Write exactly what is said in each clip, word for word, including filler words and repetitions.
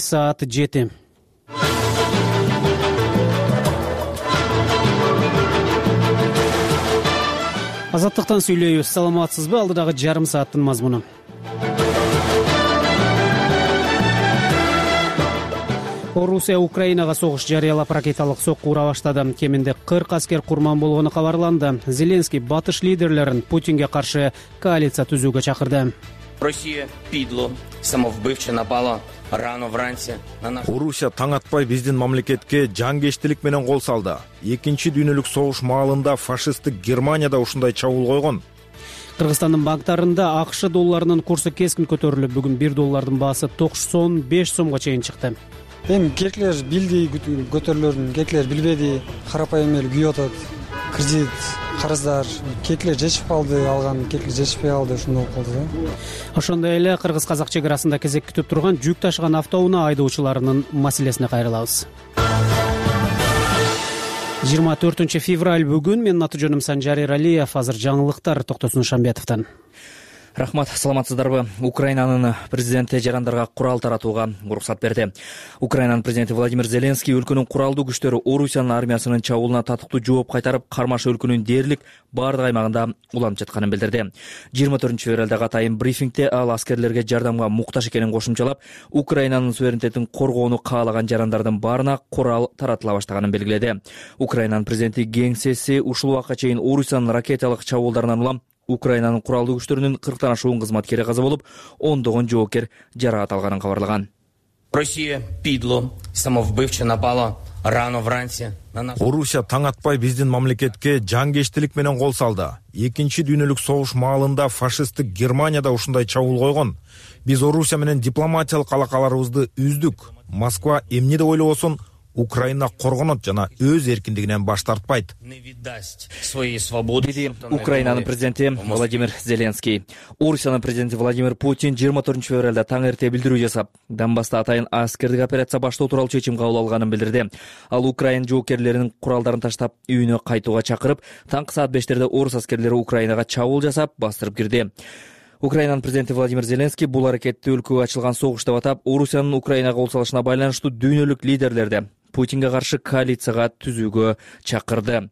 Саат жети. Азаттыктан сүйлөйбүз. Саламатсызбы? Алдыдагы жарым сааттын мазмуну. Орусия Украинага согуш жарыялап ракеталык сокку ура баштады. Кеминде кырк аскер курман болгону кабарланды. Зеленский батыш лидерлерин Путинге каршы коалиция түзүүгө чакырды. Россия пидло, самовбивче напала рано вранці на наш... Орусия таң атпай биздин мамлекетке жангештилик менен кол салды. Экинчи дүйнөлүк согуш маалында фашисттик Германияда ушундай чабуул койгон. Кыргызстандын банктарында АКШ долларынын курсу кескин көтөрүлүп, бүгүн бир доллардын баасы токсон беш сомго чейин чыкты. Эми кекилер билди көтөрүлөрүн, кекилер билбеди, карапайым эл күйүп атат. Кредит, карыздар, кекилер жетишип калды, алган кекилер жетишпей калды, ушундай болуп калды да. Ошондой эле кыргыз-казак чек арасында кезек күтүп турган жүк ташыган автоунаа айдоочуларынын маселесине кайрылабыз. жыйырма төртүнчү февраль бүгүн. Менин аты жөнүм Санжар Эралиев. Азыр жаңылыктар Токтосун Шамбетовдон. Рахмат, саламатсыздарбы? Украинанын президенти жарандарга курал таратууга уруксат берди. Украинанын президенти Владимир Зеленский өлкөнүн куралдуу күчтөрү Орусиянын армиясынын чабуулуна татыктуу жооп кайтарып, кармашы өлкөнүн дээрлик бардык аймагында уланып жатканын билдирди. жыйырма төртүнчү февралдагы атайын брифингде ал аскерлерге жардамга муктаж экенин кошумчалап, Украинанын суверенитетин коргоону каалаган жарандардын баарына курал таратыла баштаганын белгиледи. Украинанын президенти кеңсеси ушул убакка чейин Орусиянын ракеталык чабуулдарынан улам Украинанын куралдуу күчтөрүнүн кырктан ашуун кызматкери каза болуп, ондогон жоокер жараат алганын кабарлаган. Россия пидло, самовбивче напала рано вранці на наш... Орусия таң атпай биздин мамлекетке жангештилик менен кол салды. Экинчи дүйнөлүк согуш маалында фашисттик Германияда ушундай чабуул койгон. Биз Орусия менен дипломатиялык алакаларыбызды үздүк. Москва эмне деп ойлобосун, Украина коргонот жана өз эркиндигинен баш тартпайт. Деди Украинанын президенти Владимир Зеленский. Орусиянын президенти Владимир Путин жыйырма төртүнчү февралда таң эрте билдирүү жасап, Донбасста атайын аскердик операция баштоо тууралуу чечим кабыл алганын билдирди. Ал Украина жоокерлеринин куралдарын таштап, үйүнө кайтууга чакырып, таңкы саат бештерде орус аскерлери Украинага чабуул жасап, бастырып кирди. Украинанын президенти Владимир Зеленский бул аракетти өлкөгө ачылган согуш деп атап, Орусиянын Украинага кол салышына байланыштуу дүйнөлүк лидерлерди Путинге каршы коалицияга түзүүгө чакырды.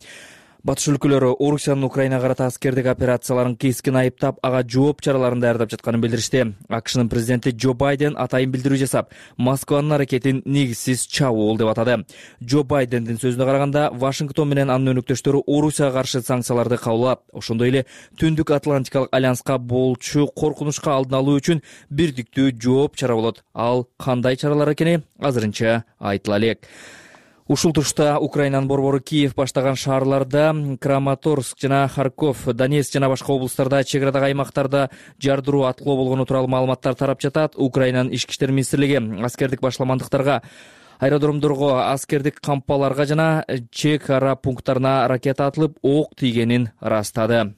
Батыш өлкөлөрү Орусиянын Украинага карата аскердик операцияларын кескин айыптап, ага жооп чараларын даярдап жатканын билдиришти. АКШнын президенти Джо Байден атайын билдирүү жасап, Москванын аракетин негизсиз чабуул деп атады. Джо Байдендин сөзүнө караганда, Вашингтон менен анын өнөктөштөрү Орусияга каршы санкцияларды кабыл, ошондой эле Түндүк Атлантикалык альянска болчу коркунучка алдын алуу үчүн бирдиктүү жооп чара болот. Ал кандай чаралар экени азырынча айтыла элек. Ушул тушта Украинанын борбору Киев баштаган шаарларда Краматорск жана Харьков, Донецк жана башка облустарда чек арадагы аймактарда жардыруу аткылоо болгону тууралуу маалыматтар тарап жатат. Украинанын ички иштер министрлиги аскердик башламандыктарга, аэродромдорго, аскердик кампаларга жана чек ара пункттарына ракета атылып, ок тийгенин ырастады.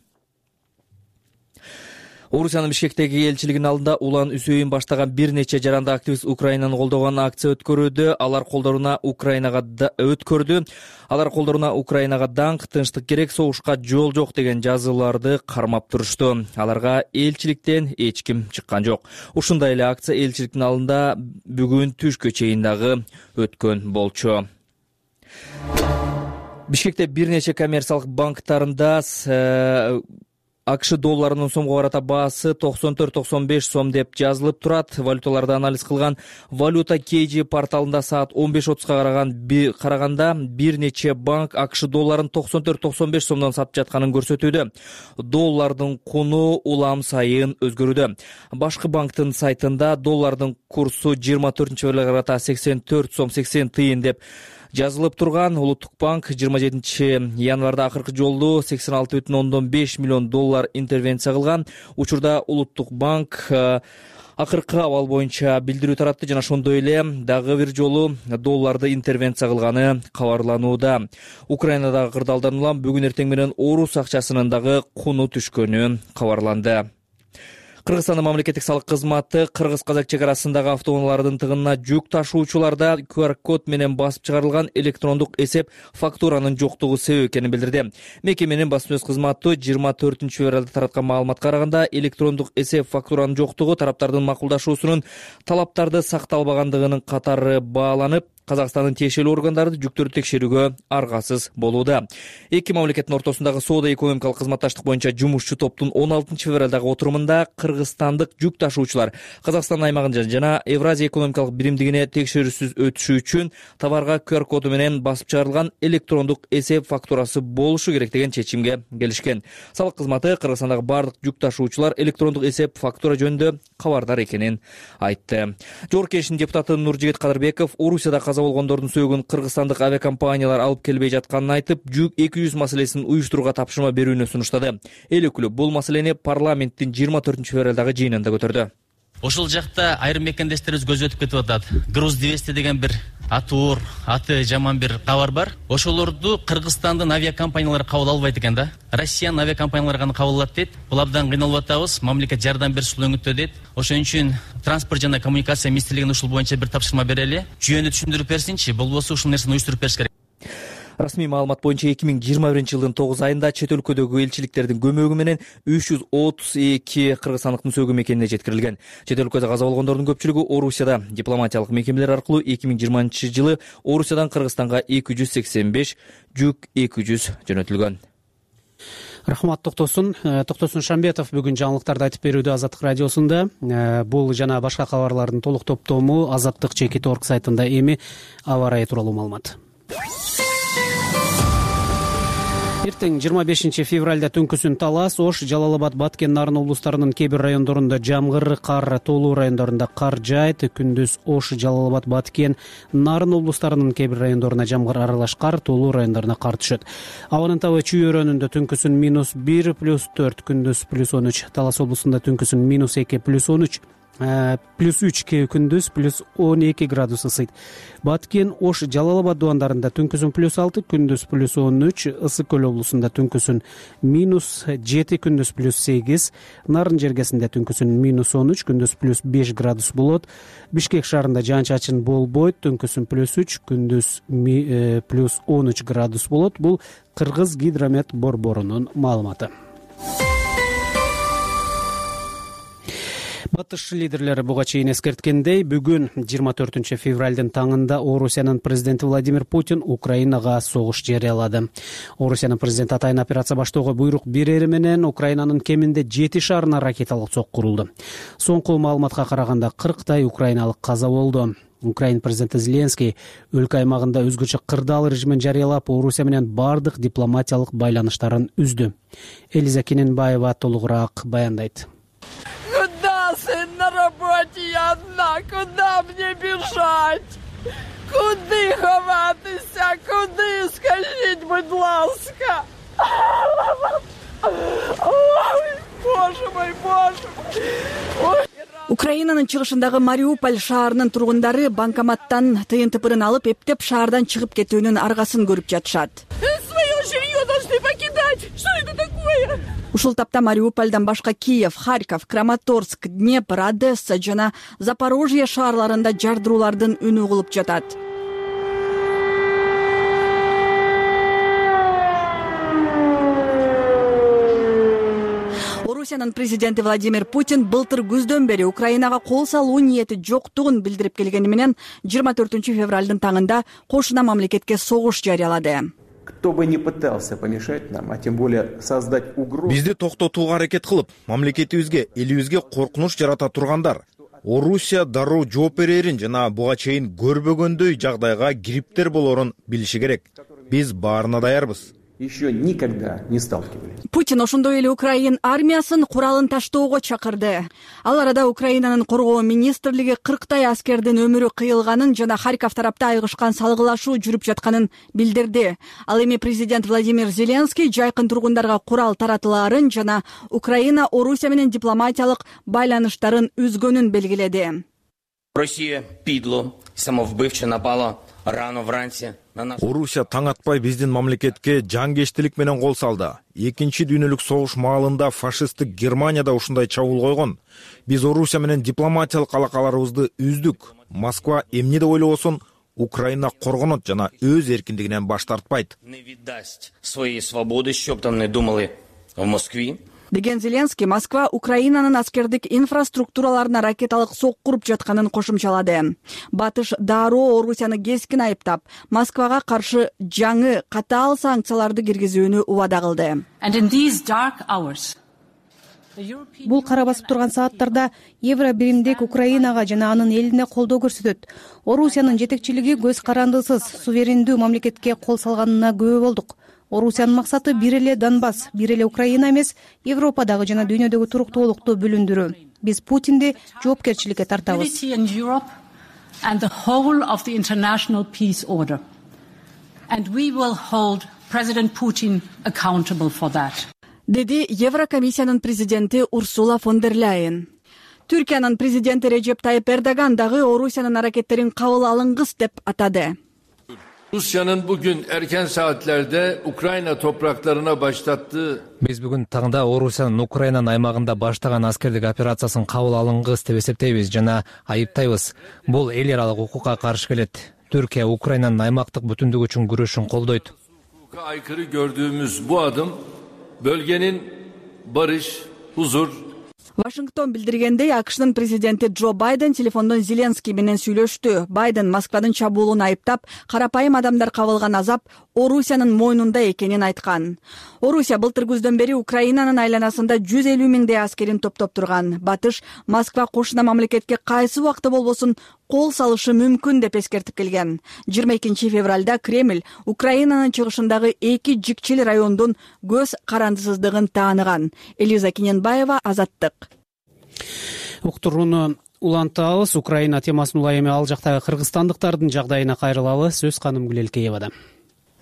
Орусиянын Бишкектеги элчилигинин алдында Улан Үсөйүн баштаган бир нече жаранды активист Украинаны колдогон акция өткөрүүдө. Алар колдоруна Украинага өткөрдү. Алар колдоруна Украинага даңк, тынчтык керек, согушка жол жок деген жазууларды кармап турушту. Аларга элчиликтен эч ким чыккан жок. Ушундай эле акция элчиликтин алдында бүгүн түшкө чейин дагы өткөн болчу. Бишкекте бир нече коммерциялык банктарында АКШ долларынын сомго карата баасы токсон төрт токсон беш сом деп жазылып турат. Валюталарды анализ кылган Валюта кей джи порталында саат он беш отузга караган караганда бир нече банк АКШ долларын токсон төрт токсон беш сомдон сатып жатканын көрсөтүүдө. Доллардын куну улам сайын өзгөрүүдө. Башкы банктын сайтында доллардын курсу жыйырма төртүнчү февралга карата сексен төрт сом сексен тыйын деп жазылып турган. Улуттук банк жыйырма жетинчи январда акыркы жолу сексен алты бүтүн ондон беш миллион доллар интервенция кылган. Учурда Улуттук банк акыркы абал боюнча билдирүү таратты жана ошондой эле дагы бир жолу долларды интервенция кылганы кабарланууда. Украинадагы кырдаалдан улам бүгүн эртең менен орус акчасынын дагы куну түшкөнү кабарланды. Кыргызстандын мамлекеттик салык кызматы кыргыз-казак чек арасындагы автоунаалардын тыгынына жүк ташуучуларда ку ар код менен басып чыгарылган электрондук эсеп фактуранын жоктугу себеп экенин билдирди. Мекеменин басма сөз кызматы жыйырма төртүнчү февралда тараткан маалыматка караганда, электрондук эсеп фактуранын жоктугу тараптардын макулдашуусунун талаптарды сакталбагандыгынын катары бааланып, Казакстандын тиешелүү органдары жүктөрдү текшерүүгө аргасыз болууда. Эки мамлекеттин ортосундагы соода-экономикалык кызматташтык боюнча жумушчу топтун он алтынчы февралдагы отурумунда кыргызстандык жүк ташуучулар Казакстан аймагында жана Евразия экономикалык биримдигине текшерүүсүз өтүшү үчүн товарга ку ар коду менен басып чыгарылган электрондук эсеп фактурасы болушу керек деген чечимге келишкен. Салык кызматы Кыргызстандагы бардык жүк ташуучулар электрондук эсеп фактура жөнүндө кабардар экенин айтты. Жогорку Кеңештин депутаты Нуржигит Кадырбеков Орусияда каза болгондордун сөөгүн кыргызстандык авиакомпаниялар алып келбей жатканын айтып, жүк эки жүз маселесин уюштурууга тапшырма берүүнү сунуштады. Эл өкүлү бул маселени парламенттин жыйырма төртүнчү февралдагы жыйынында көтөрдү. Ошол жакта айрым мекендештерибиз көз өтүп кетип атат. Груз двести деген бир аты оор, аты жаман бир кабар бар. Ошолорду Кыргызстандын авиакомпаниялары кабыл албайт экен да. Россиянын авиакомпаниялары гана кабыл алат дейт. Бул абдан кыйналып атабыз. Мамлекет жардам бериши өңүттө дейт. Ошон үчүн транспорт жана коммуникация министрлигине ушул боюнча бир тапшырма берели. Жүйөнү түшүндүрүп берсинчи, болбосо ушул нерсени уюштуруп бериш керек. Расмий маалымат боюнча эки миң жыйырма биринчи жылдын тогуз айында чет өлкөдөгү элчиликтердин көмөгү менен үч жүз отуз эки кыргызстандыктын сөөгү мекенине жеткирилген. Чет өлкөдө каза болгондордун көпчүлүгү Орусияда. Дипломатиялык мекемелер аркылуу эки миң жыйырманчы жылы Орусиядан Кыргызстанга эки жүз сексен беш, жүк эки жүз жөнөтүлгөн. Рахмат Токтосун. Токтосун Шамбетов бүгүн жаңылыктарды айтып берүүдө Азаттык радиосунда. Бул жана башка кабарлардын толук топтому азаттык чекит орг сайтында эми аба ырайы тууралуу маалымат. Эртең жыйырма бешинчи февралда түнкүсүн Талас, Ош, Жалал Абад, Баткен, Нарын облустарынын кээ бир райондорунда жамгыр, кар, тоолуу райондорунда кар жаайт. Күндүз Ош, Жалал Абад, Баткен, Нарын облустарынын кээ бир райондоруна жамгыр аралаш кар, тоолуу райондоруна кар түшөт. Абанын табы Чүй өрөөнүндө түнкүсүн минус бир, плюс төрт, күндүз плюс он үч. Талас облусунда түнкүсүн минус эки, плюс он үч. плюс үч күндүз плюс он эки градус ысыйт. Баткен, Ош, Жалал Абад дубандарында түнкүсүн плюс алты, күндүз плюс он үч, Ысык көл облусунда түнкүсүн минус жети, күндүз плюс сегиз, Нарын жергесинде түнкүсүн минус он үч, күндүз плюс беш градус болот. Бишкек шаарында жаан-чачын болбойт, түнкүсүн плюс үч, күндүз плюс он үч градус болот. Бул Кыргыз гидромет борборунун маалыматы. Батыш лидерлери буга чейин эскерткендей, бүгүн жыйырма төртүнчү февралдын таңында Орусиянын президенти Владимир Путин Украинага согуш жарыялады. Орусиянын президенти атайын операция баштоого буйрук берери менен Украинанын кеминде жети шаарына ракеталык сок курулду. Соңку маалыматка караганда кырктай украиналык каза болду. Украин президенти Зеленский өлкө аймагында өзгөчө кырдаал режимин жарыялап, Орусия менен бардык дипломатиялык байланыштарын үздү. Элиза Кененбаева толугураак баяндайт. На работе я одна, куда мне бежать? Куди ховатися? Куди? Скажіть, будь ласка. Ой, боже мой, боже мой. Украинанын чыгышындагы Мариуполь шаарынын тургундары банкоматтан тыйын тыпырын алып, эптеп шаардан чыгып кетүүнүн аргасын көрүп жатышат. Своё жилье должны покидать. Что это такое? Ушул тапта Мариупольдон башка Киев, Харьков, Краматорск, Днепр, Одесса жана Запорожье шаарларында жардыруулардын үнү угулуп жатат. Орусиянын президенти Владимир Путин былтыр күздөн бери Украинага кол салуу ниети жоктугун билдирип келгени менен жыйырма төртүнчү февралдын таңында кошуна мамлекетке согуш жарыялады. Кто бы не пытался помешать нам, а тем более создать угрозу. Бизди токтотууга аракет кылып, мамлекетибизге, элибизге коркунуч жарата тургандар Орусия дароо жооп берерин жана буга чейин көрбөгөндөй жагдайга кириптер болорун билиши керек. Биз баарына даярбыз. Еще никогда не сталкивались. Путин ошондой эле Украин армиясын куралын таштоого чакырды. Ал арада Украинанын коргоо министрлиги кырктай аскердин өмүрү кыйылганын жана Харьков тарапта айгышкан салгылашуу жүрүп жатканын билдирди. Ал эми президент Владимир Зеленский жайкын тургундарга курал таратылаарын жана Украина Орусия менен дипломатиялык байланыштарын үзгөнүн белгиледи. Росія підло, самовбивче напала рано вранці на наш... Орусия таң атпай биздин мамлекетке жангештилик менен кол салды. Экинчи дүйнөлүк согуш маалында фашисттик Германияда ушундай чабуул койгон. Биз Орусия менен дипломатиялык алакаларыбызды үздүк. Москва эмне деп ойлобосун Украина коргонот жана өз эркиндигинен баш тартпайт. Не віддасть своєї свободи, що б там не думали в Москві. Деген Зеленский Москва Украинанын аскердик инфраструктураларына ракеталык сок куруп жатканын кошумчалады. Батыш дароо Орусияны кескин айыптап, Москвага каршы жаңы катаал санкцияларды киргизүүнү убада кылды. Бул кара басып турган сааттарда евро биримдик Украинага жана анын элине колдоо көрсөтөт. Орусиянын жетекчилиги көз карандысыз суверендүү мамлекетке кол салганына күбө болдук. Орусиянын максаты бир эле Донбасс, бир эле Украина эмес, Европадагы жана дүйнөдөгү туруктуулукту бүлүндүрүү. Биз Путинди жоопкерчиликке тартабыз. Деди Еврокомиссиянын президенти Урсула фон дер Ляйен. Түркиянын президенти Режеп Тайып Эрдоган дагы Орусиянын аракеттерин кабыл алынгыс деп атады. Rusya'nın bugün erken saatlerde Ukrayna topraklarına başlattığı... Biz bugün tağında Rusya'nın Ukrayna'nın aymağında başlagan askerlik operasiyasını kabul alınğız dep esептейбиz жана айыптайбыз. Бул эл аралык укукка каршы келет. Türkiye Ukrayna'nın aymaqtык бүтүндүгү үчүн күрөшүн колдойт. Hukuka aykırı gördüğümüz bu adım bölgenin barış, huzur... Вашингтон билдиргендей, АКШнын президенти Джо Байден телефондон Зеленский менен сүйлөштү. Байден Москванын чабуулун айыптап, карапайым адамдар кабылган азап Орусиянын мойнунда экенин айткан. Орусия былтыр күздөн бери Украинанын айланасында жүз элүү миңдей аскерин топтоп турган. Батыш Москва кошуна мамлекетке кайсы убакта болбосун кол салышы мүмкүн деп эскертип келген. жыйырма экинчи февралда Кремль Украинанын чыгышындагы эки жикчил райондун көз карандысыздыгын тааныган. Элиза Кененбаева, Азаттык. Уктурууну улантабыз. Украина темасын улай эми ал жактагы кыргызстандыктардын жагдайына кайрылалы. Сөз Каным Гүлелкеевада.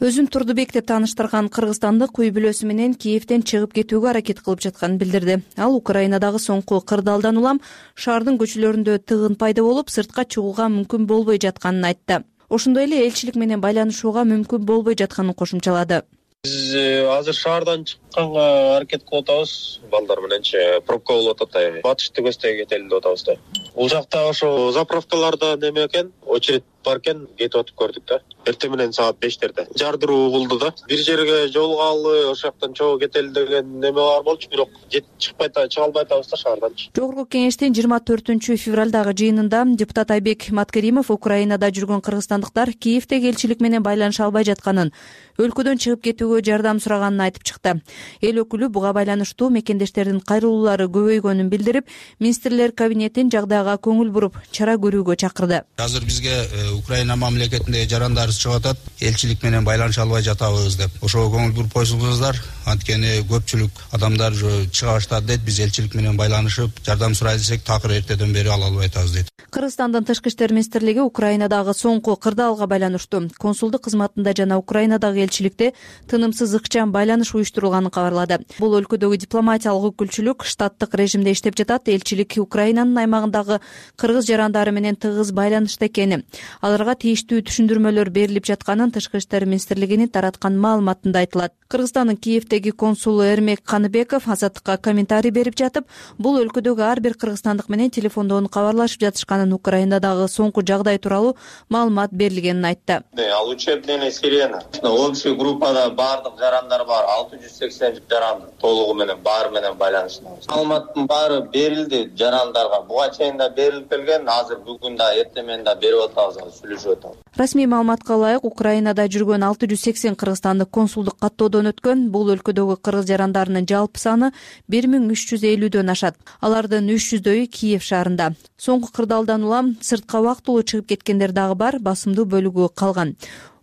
Өзүн Турдубек деп тааныштырган кыргызстандык үй бүлөсү менен Киевден чыгып кетүүгө аракет кылып жатканын билдирди. Ал Украинадагы соңку кырдаалдан улам шаардын көчөлөрүндө тыгын пайда болуп, сыртка чыгууга мүмкүн болбой жатканын айтты. Ошондой эле элчилик менен байланышууга мүмкүн болбой жатканын кошумчалады. Биз азыр шаардан чыкканга аракет кылып атабыз. Балдар мененчи пробка болуп атат. Батышты көздөй кетели деп атабыз да. Бул жакта ошо заправкаларда неме экен, очередь бар экен, кетип атып көрдүк да. Эртең менен саат бештерде жардыруу болду да. Бир жерге жолугалы, ошол жактан чогуу кетели деген неме бар болчу, бирок жетип чыкпай атабыз, чыга албай атабыз да шаарданчы. Жогорку кеңештин жыйырма төртүнчү февралдагы жыйынында депутат Айбек Маткеримов Украинада жүргөн кыргызстандыктар Киевдеги элчилик менен байланыша албай жатканын, өлкөдөн чыгып кетүүгө жардам сураганын айтып чыкты. Эл өкүлү буга байланыштуу мекендештердин кайрылуулары көбөйгөнүн билдирип, министрлер кабинетин жагдайга көңүл буруп, чара көрүүгө чакырды. Азыр бизге Украина мамлекетинде жарандар чыгып атат, элчилик менен байланыша албай жатабыз деп. Ошого көңүл буруп койсоңуздар, анткени көпчүлүк адамдар чыга баштады дейт. Биз элчилик менен байланышып, жардам сурай десек, такыр эртеден бери ала албай атабыз дейт. Кыргызстандын тышкы иштер министрлиги Украинадагы соңку кырдаалга байланыштуу консулдук кызматында жана Украинадагы элчиликте тынымсыз ыкчам байланыш уюштурулганын кабарлады. Бул өлкөдөгү дипломатиялык өкүлчүлүк штаттык режимде иштеп жатат. Элчилик Украинанын аймагындагы кыргыз жарандары менен тыгыз байланышта экени, аларга тийиштүү түшүндүрмөлөр берилип жатканын тышкы иштер министрлигинин тараткан маалыматында айтылат. Кыргызстандын Киевдеги консулу Эрмек Каныбеков Азаттыкка комментарий берип жатып, бул өлкөдөгү ар бир кыргызстандык менен телефондон кабарлашып жатышканын, Украинадагы соңку жагдай тууралуу маалымат берилгенин айтты. Ал учебный сирена. Общий группада баардык жарандар бар, алты жүз сексен жаран толугу менен баары менен байланыштабыз. Маалыматтын баары берилди жарандарга. Буга чейин да берилип келген, азыр бүгүн да эртең менен да берип атабыз, сүйлөшүп атабыз. Расмий маалыматка ылайык, Украинада жүргөн алты жүз сексен кыргызстандык консулдук каттоодон өткөн. Бул өлкөдөгү кыргыз жарандарынын жалпы саны бир миң үч жүз элүүдөн ашат. Алардын үч жүздөйү Киев шаарында. Соңку кырдаалдан улам сыртка убактылуу чыгып кеткендер дагы бар, басымдуу бөлүгү калган.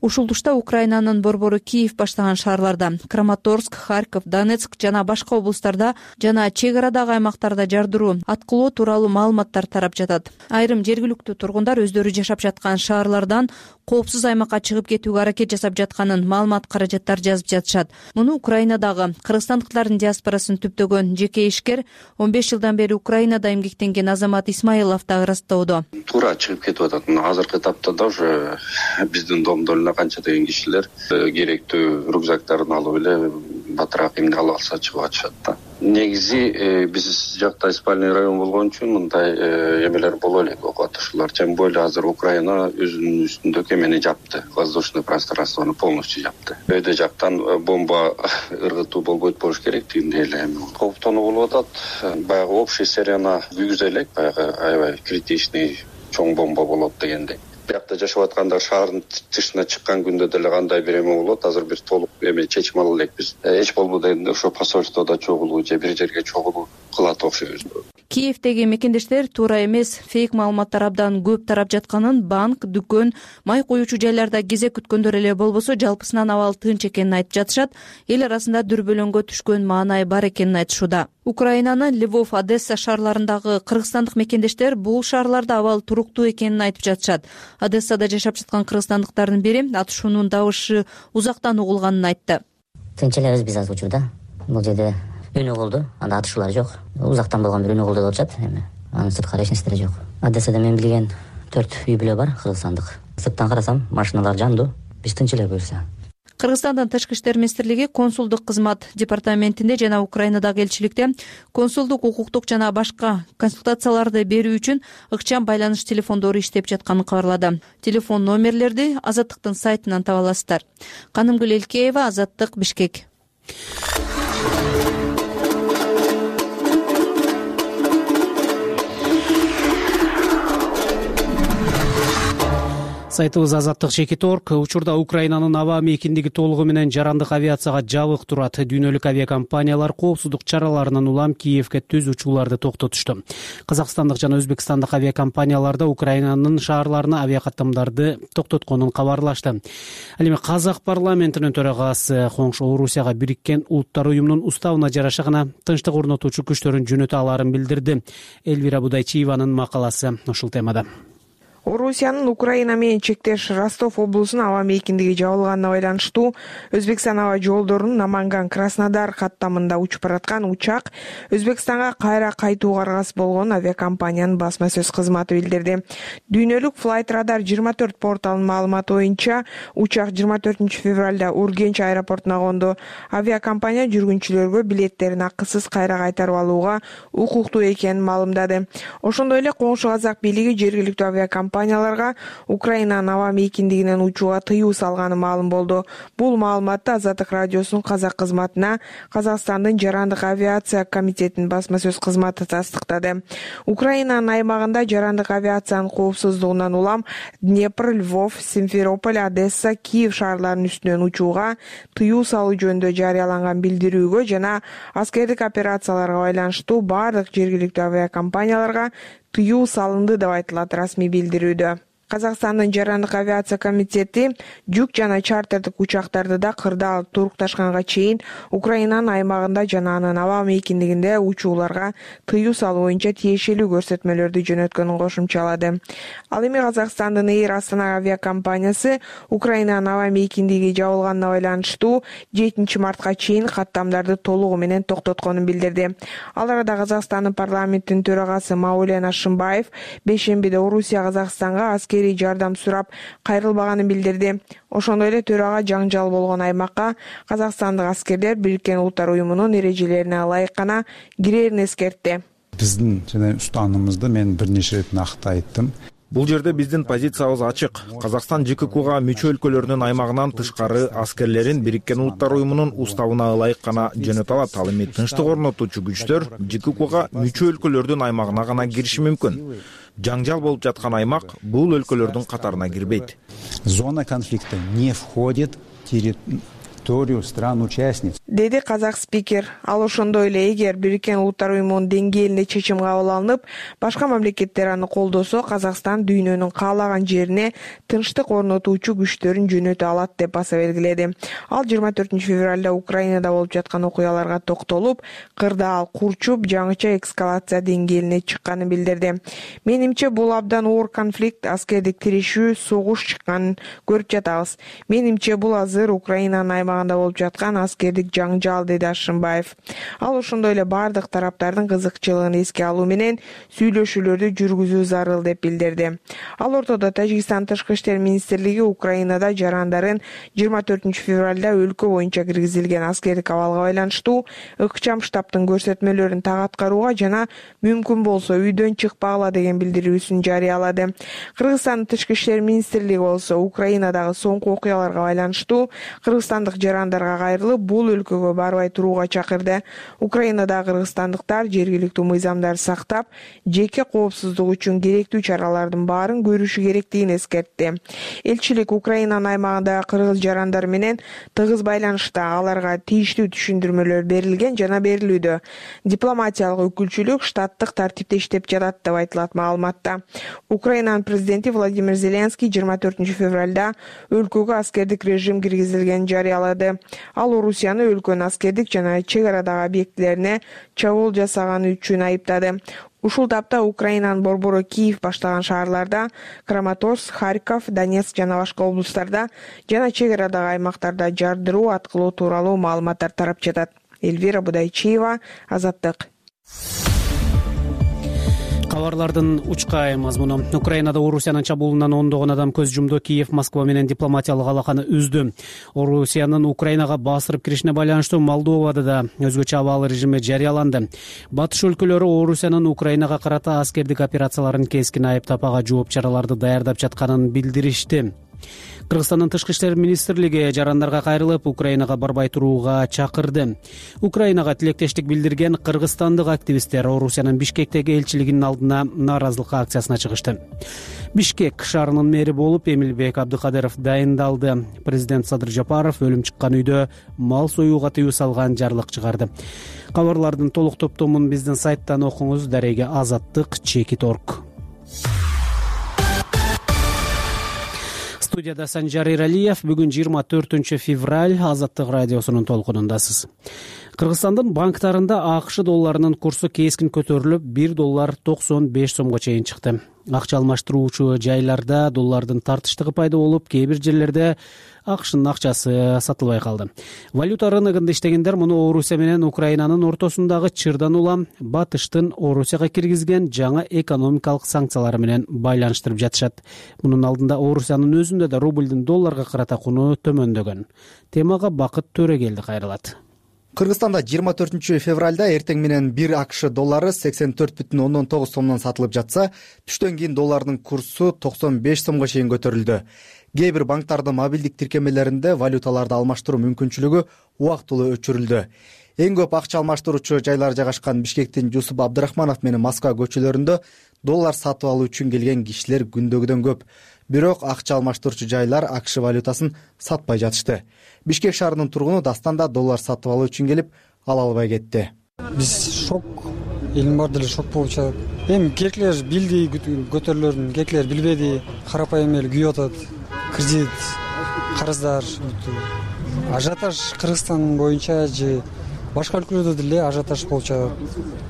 Ушул тушта Украинанын борбору Киев баштаган шаарларда Краматорск, Харьков, Донецк жана башка облустарда жана чек арадагы аймактарда жардыруу аткылоо тууралуу маалыматтар тарап жатат. Айрым жергиликтүү тургундар өздөрү жашап жаткан шаарлардан коопсуз аймакка чыгып кетүүгө аракет жасап жатканын маалымат каражаттар жазып жатышат. Муну Украинадагы кыргызстандыктардын диаспорасын түптөгөн жеке ишкер он беш жылдан бери Украинада эмгектенген Азамат Исмаилов да ырастоодо. Туура чыгып кетип атат. Мына азыркы этапта да уже биздин домдолуна канча деген кишилер керектүү рюкзактарын алып эле батыраак эмне ала алса чыгып атышат да. Негизи биз жакта спальный район болгон үчүн мындай эмелер боло элек, окутушуулар. Тем более азыр Украина өзүнүн үстүндөгү эмени жапты. Воздушный пространствону полностью жапты. Өйдө жактан бомба ыргытуу болбойт болуш керек дегендей эле кооптонуу болуп атат. Баягы общий серияна күйгүзө элек, баягы аябай критичный чоң бомба болот дегендей. Биякта жашап аткандар шаардын тышына чыккан күндө деле кандай бир эме болот, азыр бир толук эме чечим ала элекпиз. Эч болбодо эми ошо посольстводо чогулуу же бир жерге чогулуу кылат окшойбуз. Киевдеги мекендештер туура эмес, фейк маалыматтар абдан көп тарап жатканын, банк, дүкөн, май куюучу жайларда кезек күткөндөр эле болбосо жалпысынан абал тынч экенин айтып жатышат. Эл арасында дүрбөлөңгө түшкөн маанай бар экенин айтышууда. Украинанын Львов, Одесса шаарларындагы кыргызстандык мекендештер бул шаарларда абал туруктуу экенин айтып жатышат. Одессада жашап жаткан кыргызстандыктардын бири атышуунун дабышы узактан угулганын айтты. Тынч элебиз биз азыр учурда. Бул жерде үнү болду, анда атышуулар жок. Узактан болгон бир үнү болду деп атышат. Эми анын сырткары эч нерсе жок. Одессада мен билген төрт үй бүлө бар кыргызстандык. Сырттан карасам машиналар жандуу. Биз тынч эле буюрса. Кыргызстандын Тышкы иштер министрлиги консулдук кызмат департаментинде жана Украинадагы элчиликте консулдук, укуктук жана башка консультацияларды берүү үчүн ыкчам байланыш телефондору иштеп жатканын кабарлады. Телефон номерлерди Азаттыктын сайтынан таба аласыздар. Канымгүл Элкеева, Азаттык, Бишкек. Сайтыбыз азаттык чекит орг. Учурда Украинанын аба мейкиндиги толугу менен жарандык авиацияга жабык турат. Дүйнөлүк авиакомпаниялар коопсуздук чараларынан улам Киевге түз учууларды токтотушту. Казакстандык жана Өзбекстандык авиакомпаниялар да Украинанын шаарларына авиакаттамдарды токтотконун кабарлашты. Ал эми Казак парламентинин төрагасы коңшу Орусияга Бириккен Улуттар уюмунун уставына жараша гана тынчтык орнотуучу күчтөрүн жөнөтө аларын билдирди. Элвира Будайчиеванын макаласы ушул темада. Орусиянын Украина менен чектеш Ростов облусунун аба мейкиндиги жабылганына байланыштуу Өзбекстан аба жолдорунун Наманган Краснодар каттамында учуп бараткан учак Өзбекстанга кайра кайтууга аргасыз болгонун авиакомпаниянын басма сөз кызматы билдирди. Дүйнөлүк Flight Radar жыйырма төрт порталынын маалыматы боюнча учак жыйырма төртүнчү февралда Ургенч аэропортуна конду. Авиакомпания жүргүнчүлөргө билеттерин акысыз кайра кайтарып алууга укуктуу экенин маалымдады. Ошондой эле коңшу казак бийлиги жергиликтүү авиакомпания компанияларга Украинанын аба мейкиндигинен учууга тыюу салганы маалым болду. Бул маалыматты Азаттык радиосунун казак кызматына Казакстандын жарандык авиация комитетинин басма сөз кызматы тастыктады. Украинанын аймагында жарандык авиациянын коопсуздугунан улам Днепр, Львов, Симферополь, Одесса, Киев шаарларынын үстүнөн учууга тыюу салуу жөнүндө жарыяланган билдирүүгө жана аскердик операцияларга байланыштуу бардык жергиликтүү авиакомпанияларга тыюу салынды деп айтылат расмий билдирүүдө. Казакстандын жарандык авиация комитети жүк жана чартердик учактарды да кырдаал турукташканга чейин Украинанын аймагында жана анын аба мейкиндигинде учууларга тыюу салуу боюнча тиешелүү көрсөтмөлөрдү жөнөткөнүн кошумчалады. Ал эми Казакстандын Эйр Астана авиакомпаниясы Украинанын аба мейкиндиги жабылганына байланыштуу жетинчи мартка чейин каттамдарды толугу менен токтотконун билдирди. Ал арада Казакстандын парламентинин төрагасы Маулен Ашимбаев бейшембиде Орусия Казакстанга аскери жардам сурап кайрылбаганын билдирди. Ошондой эле төрага жаңжал болгон аймакка казакстандык аскерлер Бириккен Улуттар уюмунун эрежелерине ылайык гана кирерин эскертти. Биздин жана устанымызды мен бир нече ирет накты айттым. Бул жерде биздин позициябыз ачык. Казакстан ЖККга мүчө өлкөлөрүнүн аймагынан тышкары аскерлерин Бириккен Улуттар уюмунун уставына ылайык гана жөнөтө алат. Ал эми тынчтык орнотуучу күчтөр ЖККга мүчө өлкөлөрдүн аймагына гана кириши мүмкүн. Жаңжал болуп жаткан аймак бул өлкөлөрдүн катарына кирбейт. Зона конфликта не входит историю стран-участниц, деди казак спикер. Ал ошондой эле эгер Бириккен Улуттар уюмунун деңгээлинде чечим кабыл алынып, башка мамлекеттер аны колдосо, Казакстан дүйнөнүн каалаган жерине тынчтык орнотуучу күчтөрүн жөнөтө алат деп баса белгиледи. Ал жыйырма төртүнчү февралда Украинада болуп жаткан окуяларга токтолуп, кырдаал курчуп, жаңыча эскалация деңгээлине чыкканын билдирди. Менимче бул абдан оор конфликт, аскердик тирешүү, согуш чыкканын көрүп жатабыз. Менимче бул азыр Украинанын аймагында болуп жаткан аскердик жаңжал, деди Ашымбаев. Ал ошондой эле бардык тараптардын кызыкчылыгын эске алуу менен сүйлөшүүлөрдү жүргүзүү зарыл деп билдирди. Ал ортодо Тажикстан тышкы иштер министрлиги Украинада жарандарын жыйырма төртүнчү февралда өлкө боюнча киргизилген аскердик абалга байланыштуу ыкчам штабтын көрсөтмөлөрүн так аткарууга жана мүмкүн болсо үйдөн чыкпагыла деген билдирүүсүн жарыялады. Кыргызстандын тышкы иштер министрлиги болсо Украинадагы соңку окуяларга байланыштуу кыргызстандык жарандарга кайрылып, бул өлкөгө барбай турууга чакырды. Украинадагы кыргызстандыктар жергиликтүү мыйзамдарды сактап, жеке коопсуздук үчүн керектүү чаралардын баарын көрүшү керектигин эскертти. Элчилик Украинанын аймагындагы кыргыз жарандар менен тыгыз байланышта, аларга тийиштүү түшүндүрмөлөр берилген жана берилүүдө. Дипломатиялык өкүлчүлүк штаттык тартипте иштеп жатат деп айтылат маалыматта. Украинанын президенти Владимир Зеленский жыйырма төртүнчү февралда өлкөгө аскердик режим киргизилгенин жарыялады. Ал Орусияны өлкөнүн аскердик жана чек арадагы объектилерине чабуул жасаганы үчүн айыптады. Ушул тапта Украинанын борбору Киев баштаган шаарларда, Краматорск, Харьков, Донецк жана башка облустарда жана чек арадагы аймактарда жардыруу аткылоо тууралуу маалыматтар тарап жатат. Эльвира Будайчиева, Азаттык. Кабарлардын учкай мазмуну. Украинада Орусиянын чабуулунан ондогон адам көз жумду. Киев Москва менен дипломатиялык алаканы үздү. Орусиянын Украинага басырып киришине байланыштуу Молдовада да өзгөчө абал режими жарыяланды. Батыш өлкөлөрү Орусиянын Украинага карата аскердик операцияларын кескин айыптап, ага жооп чараларды даярдап жатканын билдиришти. Кыргызстандын тышкы иштер министрлиги жарандарга кайрылып, Украинага барбай турууга чакырды. Украинага тилектештик билдирген кыргызстандык активисттер Орусиянын Бишкектеги элчилигинин алдына нааразылык акциясына чыгышты. Бишкек шаарынын мэри болуп Эмилбек Абдыкадыров дайындалды. Президент Садыр Жапаров өлүм чыккан үйдө мал союуга тыюу салган жарлык чыгарды. Кабарлардын толук топтомун биздин сайттан окуңуз. Дареге Азаттык чекит точка орг. Студияда Санжар Иралиев. Бүгүн жыйырма төртүнчү февраль. Азаттык радиосунун толкунундасыз. Кыргызстандын банктарында АКШ долларынын курсу кескин көтөрүлүп, бир доллар токсон беш сомго чейин чыкты. Акча алмаштыруучу жайларда доллардын тартыштыгы пайда болуп, кээ бир жерлерде АКШнын акчасы сатылбай калды. Валюта рыногунда иштегендер муну Орусия менен Украинанын ортосундагы чырдан улам Батыштын Орусияга киргизген жаңа экономикалык санкциялары менен байланыштырып жатышат. Мунун алдында Орусиянын өзүндө да рублдун долларга карата куну төмөндөгөн. Темага Бакыт Төрөгелди кайрылат. Кыргызстанда жыйырма төртүнчү февралда эртең менен бир АКШ доллары сексен төрт бүтүн ондон тогуз сомдон сатылып жатса, түштөн кийин доллардын курсу токсон беш сомго чейин көтөрүлдү. Кээ бир банктардын мобилдик тиркемелеринде валюталарды алмаштыруу мүмкүнчүлүгү убактылуу өчүрүлдү. Эң көп акча алмаштыруучу жайлар жайгашкан Бишкектин Жусуп Абдрахманов менен Москва көчөлөрүндө доллар сатып алуу үчүн келген кишилер күндөгүдөн көп. Бирок акча алмаштыруучу жайлар АКШ валютасын сатпай жатышты. Бишкек шаарынын тургуну дастан да доллар сатып алуу үчүн келип, ала албай кетти. Биз шок, элим бар деле шок болуп жатат. Эми кээкилер билди көтөрүлөрүн, кээкилер билбеди, карапайым эле күйүп атат. Кредит, карыздар, ажиотаж Кыргызстан боюнча же башка өлкөлөрдө деле ажиотаж болуп жатат.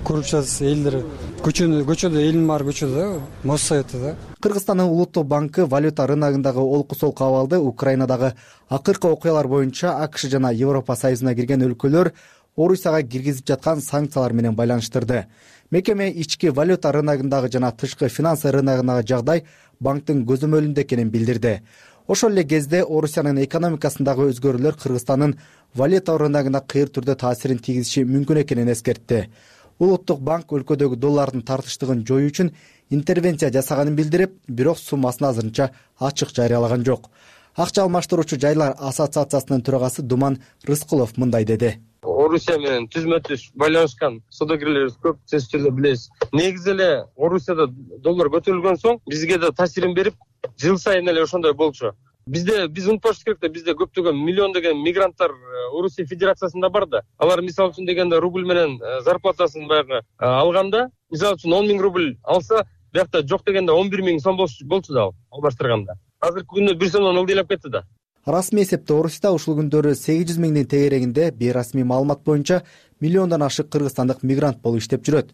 Көрүп жатасыз, элдер көчөдө, көчөдө элим бар көчөдө, Моссоветте да. Кыргызстандын Улуттук банкы валюта рыногундагы олку-солку абалды Украинадагы акыркы окуялар боюнча АКШ жана Европа Союзуна кирген өлкөлөр Орусияга киргизип жаткан санкциялар менен байланыштырды. Мекеме ички валюта рыногундагы жана тышкы финансы рыногундагы жагдай банктын көзөмөлүндө экенин билдирди. Ошол эле кезде Орусиянын экономикасындагы өзгөрүүлөр Кыргызстандын валюта рыногуна кыйыр түрдө таасирин тийгизиши мүмкүн экенин эскертти. Улуттук банк өлкөдөгү доллардын тартыштыгын жоюу үчүн интервенция жасаганын билдирип, бирок суммасын азырынча ачык жарыялаган жок. Акча алмаштыруучу жайлар ассоциациясынын төрагасы Думан Рыскулов мындай деди. Орусия менен түзмө-түз байланышкан саудагерлерибиз көп, сиз деле билесиз. Негизи эле Орусияда доллар көтөрүлгөн соң бизге да таасирин берип, жыл сайын эле ошондой болчу. Бизде биз унутпашыбыз керек да, бизде көптөгөн миллиондогон мигранттар Орусия Федерациясында бар да. Алар мисалы үчүн дегенде рубль менен зарплатасын баягы алганда, мисалы үчүн он миң рубль алса, биякта жок дегенде он бир миң сом болчу да, албаштырганда. Азыркы күндө бир сомдон ылдыйлап кетти да. Расмий эсепте Орусияда ушул күндөрү сегиз жүз миңдин тегерегинде бейрасмий маалымат боюнча миллиондон ашык кыргызстандык мигрант болуп иштеп жүрөт.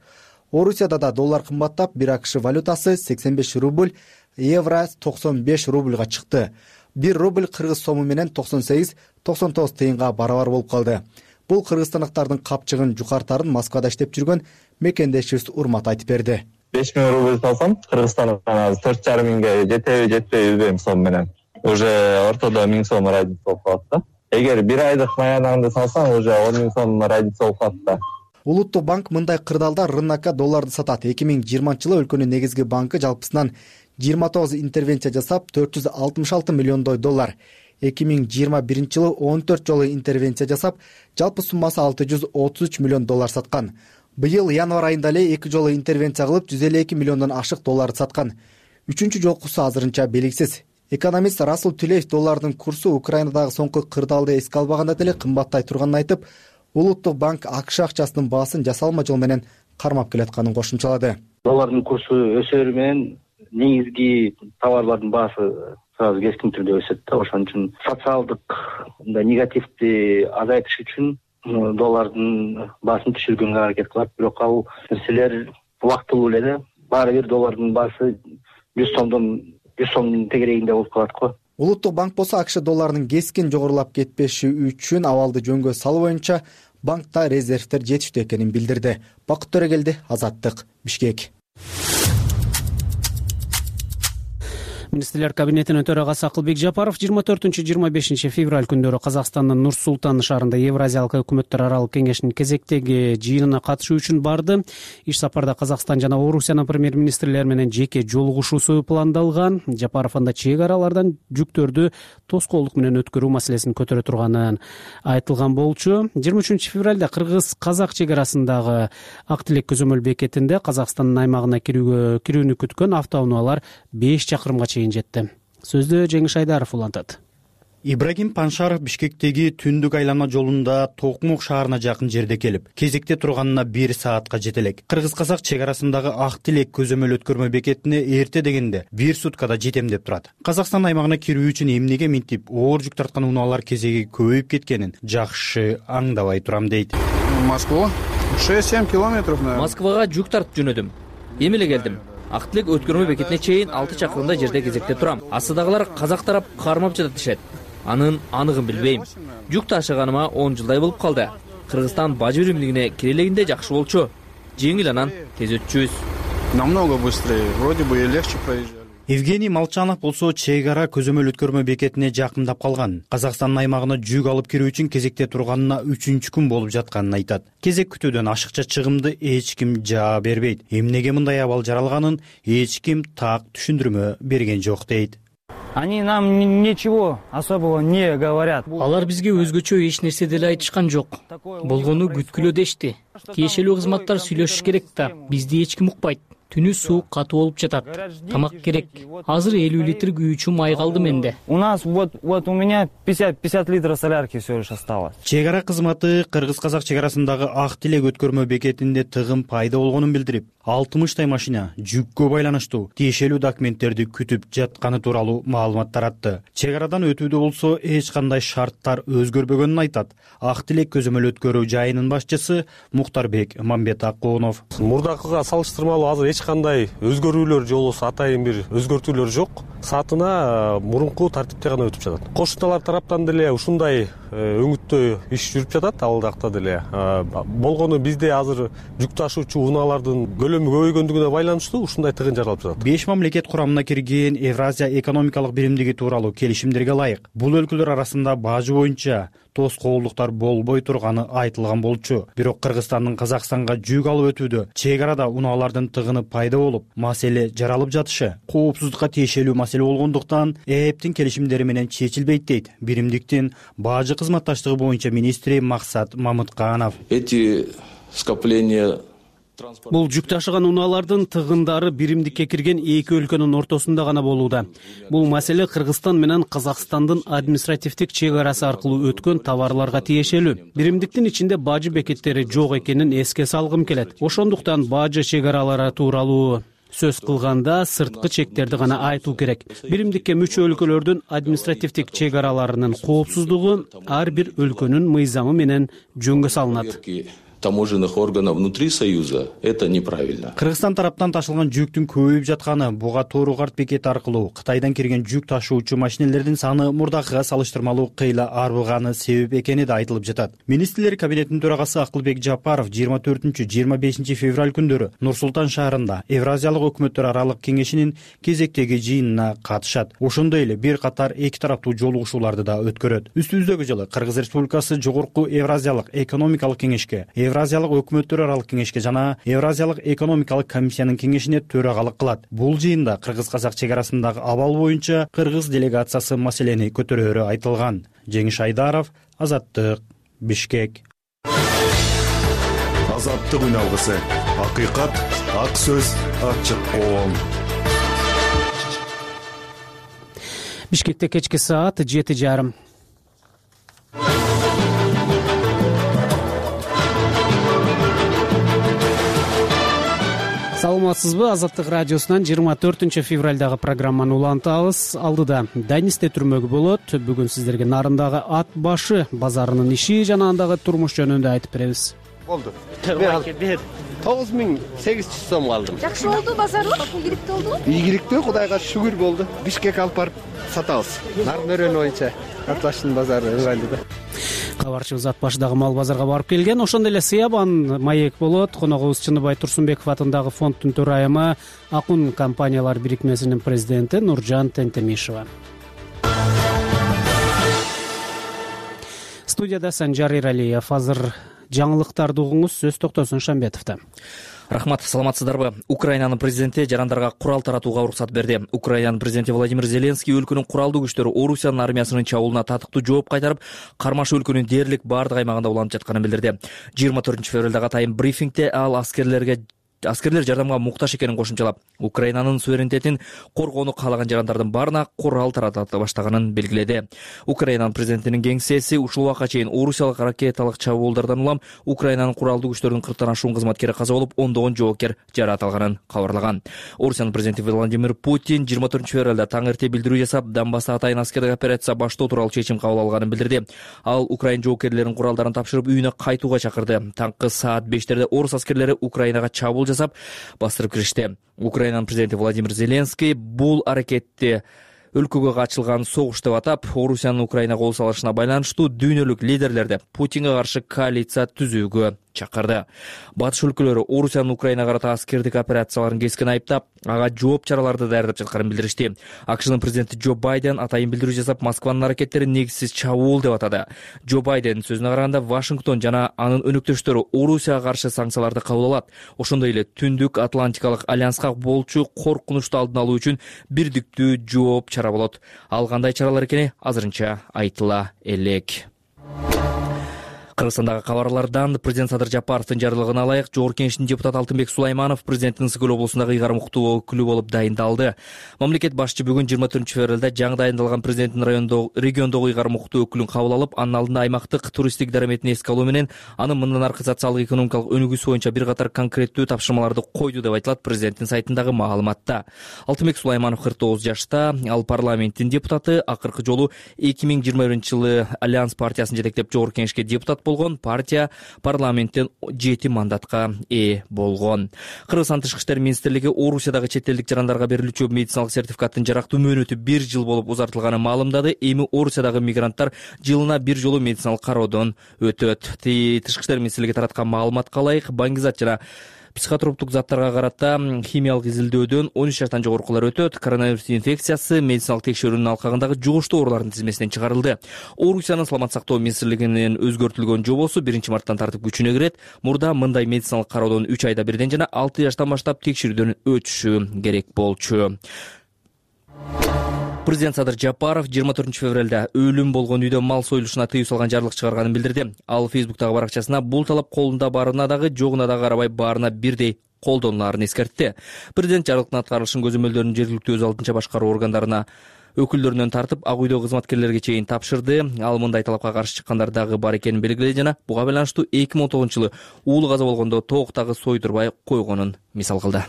Орусияда да доллар кымбаттап, бир АКШ валютасы сексен беш рубль, евро токсон беш рубльга чыкты. бир рубль кыргыз сому менен токсон сегиз токсон тогуз тыйынга барабар болуп калды. Бул кыргызстандыктардын капчыгын жукартарын Москвада иштеп жүргөн мекендешибиз Урмат айтып берди. беш миң рубль салсам, Кыргызстандан азыр төрт жарым миңге жетеби, жетпейби билбейм сом менен. Уже ортодо миң сом разница болуп калат да. Эгер бир айдык маянаңды салсаң, уже он миң сом разница болуп калат да. Улуттук банк мындай кырдаалда рынокко долларды сатат. эки миң жыйырманчы жылы өлкөнүн негизги банкы жалпысынан жыйырма тогуз интервенция жасап, төрт жүз алтымыш алты миллиондой доллар. эки миң жыйырма биринчи жылы он төрт жолу интервенция жасап, жалпы суммасы алты жүз отуз үч миллион доллар саткан. Быйыл январь айында эле эки жолу интервенция кылып, жүз элүү эки миллиондон ашык долларды саткан. Үчүнчү жолкусу азырынча белгисиз. Экономист Расул Түлеев доллардын курсу Украинадагы соңку кырдаалды эске албаганда деле кымбаттай турганын айтып, Улуттук банк АКШ акчасынын баасын жасалма жол менен кармап келатканын кошумчалады. Доллардын курсу өсөрү менен негизги товарлардын баасы сразу кескин түрдө өсөт да. Ошон үчүн социалдык мындай негативди азайтыш үчүн доллардын баасын түшүргөнгө аракет кылат. Бирок ал нерселер убактылуу эле да. Баары бир доллардын баасы жүз сомдон жүз сомдун тегерегинде болуп калат го. Улуттук банк болсо АКШ долларынын кескин жогорулап кетпеши үчүн абалды жөнгө салуу боюнча банкта резервдер жетиштүү экенин билдирди. Бакыт Төрөгелди, Азаттык, Бишкек. Министрлер кабинетинин төрагасы Акылбек Жапаров жыйырма төртүнчү жыйырма бешинчи февраль күндөрү Казакстандын Нур Султан шаарында Евразиялык өкмөттөр аралык кеңешинин кезектеги жыйынына катышуу үчүн барды. Иш сапарда Казакстан жана Орусиянын премьер-министрлери менен жеке жолугушуусу пландалган. Жапаров анда чек аралардан жүктөрдү тоскоолдук менен өткөрүү маселесин көтөрө турганын айтылган болчу. жыйырма үчүнчү февралда кыргыз-казак чек арасындагы Ак Тилек көзөмөл бекетинде Казакстандын аймагына кирүүгө кирүүнү күткөн автоунаалар беш чакырымга жетти. Сөздү Жеңиш Айдаров улантат. Ибрагим Паншаров Бишкектеги түндүк айлана жолунда Токмок шаарына жакын жерде келип, кезекте турганына бир саатка жетелек. Кыргыз-казак чек арасындагы Ак Тилек көзөмөл өткөрмө бекетине эрте дегенде бир суткада жетем деп турат. Казакстан аймагына кирүү үчүн эмнеге минтип оор жүк тарткан унаалар кезеги көбөйүп кеткенин жакшы аңдабай турам дейт. Москва шесть-семь километров, наверное. Москвага жүк тартып жөнөдүм. Эми эле келдим. Ак Тилек өткөрмө бекетине чейин алты чакырымда жерде кезекте турам. Астыдагылар казак тарап кармап жатат дешет. Анын аныгын билбейм. Жүк ташыганыма он жылдай болуп калды. Кыргызстан бажы биримдигине кире элегинде жакшы болчу. Жеңил анан тез өтчүбүз. Намного быстрее, вроде бы и легче проезжали. Евгений Молчанов болсо чек ара көзөмөл өткөрмө бекетине жакындап калган. Казакстандын аймагына жүк алып кирүү үчүн кезекте турганына үчүнчү күн болуп жатканын айтат. Кезек күтүүдөн ашыкча чыгымды эч ким жаа бербейт. Эмнеге мындай абал жаралганын эч ким так түшүндүрмө берген жок дейт. Они нам ничего особого не говорят. Алар бизге өзгөчө эч нерсе деле айтышкан жок. Болгону күткүлө дешти. Тиешелүү кызматтар сүйлөшүш керек да, бизди эч ким укпайт. Түнү суу катуу болуп жатат. Тамак керек. Азыр элүү литр күйүүчү май калды менде. У нас вот вот у меня пятьдесят литров солярки всего лишь осталось. Чек ара кызматы кыргыз-казак чек арасындагы Ак Тилек өткөрмө бекетинде тыгын пайда болгонун билдирип, алтымыштай машина жүккө байланыштуу тиешелүү документтерди күтүп жатканы тууралуу маалымат таратты. Чек арадан өтүүдө болсо эч кандай шарттар өзгөрбөгөнүн айтат. Ак Тилек көзөмөл өткөрүү жайынын башчысы Мухтарбек Мамбетакунов. Мурдакыга салыштырмалуу азыр эч кандай өзгөрүүлөр же болбосо атайын бир өзгөртүүлөр жок. Саатына мурунку тартипте гана өтүп жатат. Кошуналар тараптан деле ушундай өңүттө иш жүрүп жатат, ал жакта деле. Болгону бизде азыр жүк ташуучу унаалардын көлөмү көбөйгөндүгүнө байланыштуу ушундай тыгын жаралып жатат. Беш мамлекет курамына кирген Евразия экономикалык биримдиги тууралуу келишимдерге ылайык бул өлкөлөр арасында бажы боюнча тоскоолдуктар болбой турганы айтылган болчу. Бирок Кыргызстандын Казакстанга жүк алып өтүүдө чек арада унаалардын тыгыны пайда болуп, маселе жаралып жатышы коопсуздукка тиешелүү маселе болгондуктан эптин келишимдери менен чечилбейт дейт биримдиктин бажы кызматташтыгы боюнча министри Максат Мамытканов. Эти скопления Бул жүк ташыган унаалардын тыгындары биримдикке кирген эки өлкөнүн ортосунда гана болууда. Бул маселе Кыргызстан менен Казакстандын административдик чек арасы аркылуу өткөн товарларга тиешелүү. Биримдиктин ичинде бажы бекеттери жок экенин эске салгым келет. Ошондуктан бажы чек аралары тууралуу сөз кылганда сырткы чектерди гана айтуу керек. Биримдикке мүчө өлкөлөрдүн административдик чек араларынын коопсуздугу ар бир өлкөнүн мыйзамы менен жөнгө салынат. Таможенных органов внутри Союза это неправильно. Кыргызстан тараптан ташылган жүктүн көбөйүп жатканы, буга тоону карт бекети аркылуу Кытайдан кирген жүк ташуучу машинелердин саны мурдакыга салыштырмалуу кыйла арбыганы себеп экени да айтылып жатат. Министрлер кабинетинин төрагасы Акылбек Жапаров жыйырма төртүнчү жыйырма бешинчи февраль күндөрү Нур Султан шаарында Евразиялык өкмөттөр аралык кеңешинин кезектеги жыйынына катышат. Ошондой эле бир катар эки тараптуу жолугушууларды да өткөрөт. Үстүбүздөгү жылы Кыргыз Республикасы Жогорку Евразиялык экономикалык кеңешке, Евразиялык өкмөттөр аралык кеңешке жана Евразиялык экономикалык комиссиянын кеңешине төрагалык кылат. Бул жыйында кыргыз-казак чек арасындагы абал боюнча кыргыз делегациясы маселени көтөрөөрү айтылган. Жеңиш Айдаров, Азаттык, Бишкек. Азаттык үн алгысы. Акыйкат, ак сөз, ачык коом. Бишкекте кечки саат жети жарым. Саламатсызбы? Азаттык радиосунан жыйырма төртүнчү февралдагы программаны улантабыз. Алдыда Данисте түрмөгү болот. Бүгүн сиздерге нарындагы ат башы базарынын иши жана андагы турмуш жөнүндө айтып беребиз. Болду. тогуз миң сегиз жүз сом алдым. Жакшы болду базарлык, ийгиликтүү болдубу? Ийгиликтүү, Кудайга шүгүр болду. Бишкек алып барып сатабыз. Нарын өрөнү боюнча ат башынын базары ыңгайлуу да. Кабарчыбыз ат башыдагы мал базарга барып келген. Ошондой эле Сыябан маек болот. Коногубуз Чыныбай Турсунбеков атындагы фонддун төрайымы, Акун компаниялар бирикмесинин президенти Нуржан Тентемишева. Студияда Санжар Иралиев. Азыр жаңылыктарды угуңуз, сөз Токтосун Шамбетовдо. Рахмат, саламатсыздарбы? Украинанын президенти жарандарга курал таратууга уруксат берди. Украинанын президенти Владимир Зеленский өлкөнүн куралдуу күчтөрү Орусиянын армиясынын чабуулуна татыктуу жооп кайтарып, кармашы өлкөнүн дээрлик бардык аймагында уланып жатканын билдирди. жыйырма төртүнчү февралдагы атайын брифингде ал аскерлерге Аскерлер жардамга муктаж экенин кошумчалап, Украинанын суверенитетин коргоону каалаган жарандардын баарына курал тарата баштаганын белгиледи. Украинанын президентинин кеңсеси ушул убакка чейин Орусиялык ракеталык чабуулдардан улам Украинанын куралдуу күчтөрүнүн кырктан ашуун кызматкери каза болуп, ондогон жоокер жараат кабарлаган. Орусиянын президенти Владимир Путин жыйырма төртүнчү февралда таң эрте билдирүү жасап, Донбасста атайын аскердик операция баштоо тууралуу чечим кабыл алганын билдирди. Ал Украин жоокерлеринин куралдарын тапшырып, үйүнө кайтууга чакырды. Таңкы саат бештерде орус аскерлери Украинага чабуул жасап, бастырып киришти. Украинанын президенти Владимир Зеленский бул аракетти өлкөгө ачылган согуш деп атап, Орусиянын Украинага кол салышына байланыштуу дүйнөлүк лидерлерди Путинге каршы коалиция түзүүгө чакырды. Батыш өлкөлөрү Орусиянын Украинага карата аскердик операцияларын кескен айыптап, ага жооп чараларды даярдап жатканын билдиришти. АКШнын президенти Джо Байден атайын билдирүү жасап, Москванын аракеттери негизсиз чабуул деп атады. Джо Байден сөзүнө караганда, Вашингтон жана анын өнөктөштөрү Орусияга каршы санкцияларды кабыл алат. Ошондой эле Түндүк Атлантикалык альянска болчу коркунучту алдын алуу үчүн бирдиктүү жооп чара болот. Ал кандай чаралар экени азырынча айтыла элек. Кыргызстандагы кабарлардан президент Садыр Жапаровдун жарлыгына ылайык Жогорку Кеңештин депутаты Алтынбек Сулайманов президенттин Ысык-Көл облусундагы ыйгарым уктуу өкүлү болуп дайындалды. Мамлекет башчы бүгүн жыйырма төртүнчү февралда жаңы дайындалган президенттин райондогу региондогу ыйгарым уктуу өкүлүн кабыл алып, анын алдында аймактык туристтик дараметин эске алуу менен анын мындан аркы социалдык экономикалык өнүгүүсү боюнча бир катар конкреттүү тапшырмаларды койду деп айтылат президенттин сайтындагы маалыматта. Алтынбек Сулайманов кырк тогуз жашта, ал парламенттин депутаты, акыркы жолу эки миң жыйырма биринчи жылы Альянс партиясын жетектеп Жогорку Кеңешке депутат болгон. Партия парламенттен жети мандатка ээ болгон. Кыргызстан Тышкы иштер министрлиги Орусиядагы чет элдик жарандарга берилүүчү медициналык сертификаттын жарактуу мөөнөтү бир жыл болуп узартылганын маалымдады. Эми Орусиядагы мигранттар жылына бир жолу медициналык кароодон өтөт. Тышкы иштер министрлиги тараткан маалыматка ылайык, баңгизат жана психотроптук заттарга карата химиялык изилдөөдөн он үч жаштан жогоркулар өтөт. Коронавирус инфекциясы медициналык текшерүүнүн алкагындагы жугуштуу оорулардын тизмесинен чыгарылды. Орусиянын саламат сактоо министрлигинин өзгөртүлгөн жобосу биринчи марттан тартып күчүнө кирет. Мурда мындай медициналык кароодон үч айда бирден жана алты жаштан баштап текшерүүдөн өтүшү керек болчу. Президент Садыр Жапаров жыйырма төртүнчү февралда өлүм болгон үйдө мал союлушуна тыюу салган жарлык чыгарганын билдирди. Ал Фейсбуктагы баракчасына бул талап колунда барына дагы жогуна дагы карабай баарына бирдей колдонулаарын эскертти. Президент жарлыктын аткарылышын көзөмөлдөрүн жергиликтүү өз алдынча башкаруу органдарына өкүлдөрүнөн тартып ак үйдөгү кызматкерлерге чейин тапшырды. Ал мындай талапка каршы чыккандар дагы бар экенин белгиледи жана буга байланыштуу эки миң он тогузунчу жылы уулу каза болгондо тооктогу сойдурбай койгонун мисал кылды.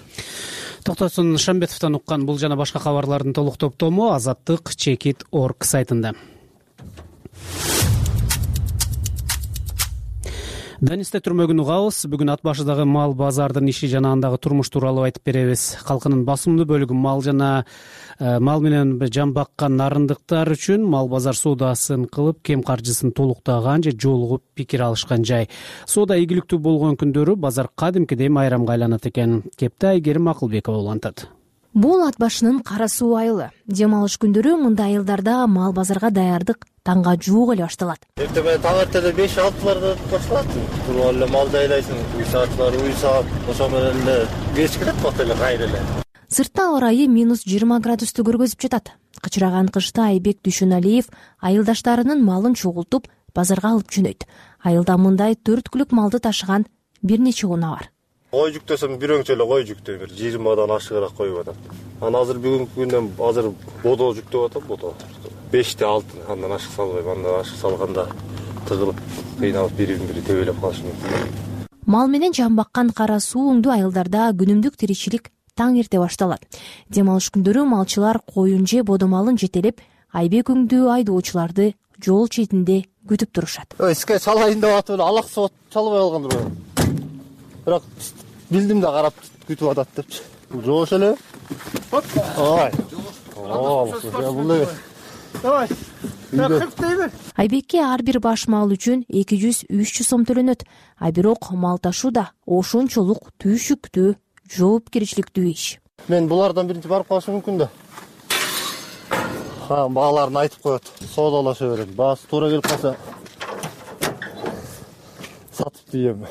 Токтосун Шамбетовдон уккан бул жана башка кабарлардын толук топтому Азаттык чекит точка орг сайтында. Данисте түрмөгүн угабыз. Бүгүн ат башыдагы мал базардын иши жана андагы турмуш тууралуу айтып беребиз. Калкынын басымдуу бөлүгү мал жана мал менен жан баккан нарындыктар үчүн мал базар соодасын кылып, кем каржысын толуктаган же жолугуп пикир алышкан жай. Соода ийгиликтүү болгон күндөрү базар кадимкидей майрамга айланат экен. Кепте Айгерим Акылбекова улантат. Бул ат башынын кара суу айылы. Дем алыш күндөрү мындай айылдарда мал базарга даярдык таңга жуук эле башталат. Эртең менен таң эртеде беш алтыларда башталат. Туруп эле малды айлайсың, үй саатчылар уй саап, ошо менен эле кеч келет бат эле кайра эле. Сыртта аба ырайы минус жыйырма градусту көргөзүп жатат. Кычыраган кышта Айбек Дүйшөналиев айылдаштарынын малын чогултуп базарга алып жөнөйт. Айылда мындай төрт күлүк малды ташыган бир нече унаа бар. Кой жүктөсөм бир өңчө эле кой жүктөй бир жыйырмадан ашыгыраак коюп атат. Анан азыр бүгүнкү күндөн азыр бодо жүктөп атам, бодо. беште алты, андан ашык салбайм, андан ашык салганда тыгылып, кыйналып бирин бири тебелеп калышы мүмкүн. Мал менен жан баккан кара суу өңдүү айылдарда күнүмдүк тиричилик таң эрте башталат. Дем алыш күндөрү малчылар коюн же бодо малын жетелеп, Айбек өңдүү айдоочуларды жол четинде күтүп турушат. Иске салайын деп атып эле алак сот чалбай калгандыр. Бирок билдим да карап күтүп атат депчи. Жоош эле. Ой. Оо, бул эле. Давай. Айбекке ар бир баш мал үчүн эки жүз үч жүз сом төлөнөт. А бирок мал ташуу да ошончолук түйшүктүү, жоопкерчиликтүү иш. Мен булардан биринчи барып калышым мүмкүн да. Ха, бааларын айтып коет. Соодалаша берет. Баасы туура келип калса сатып дийем.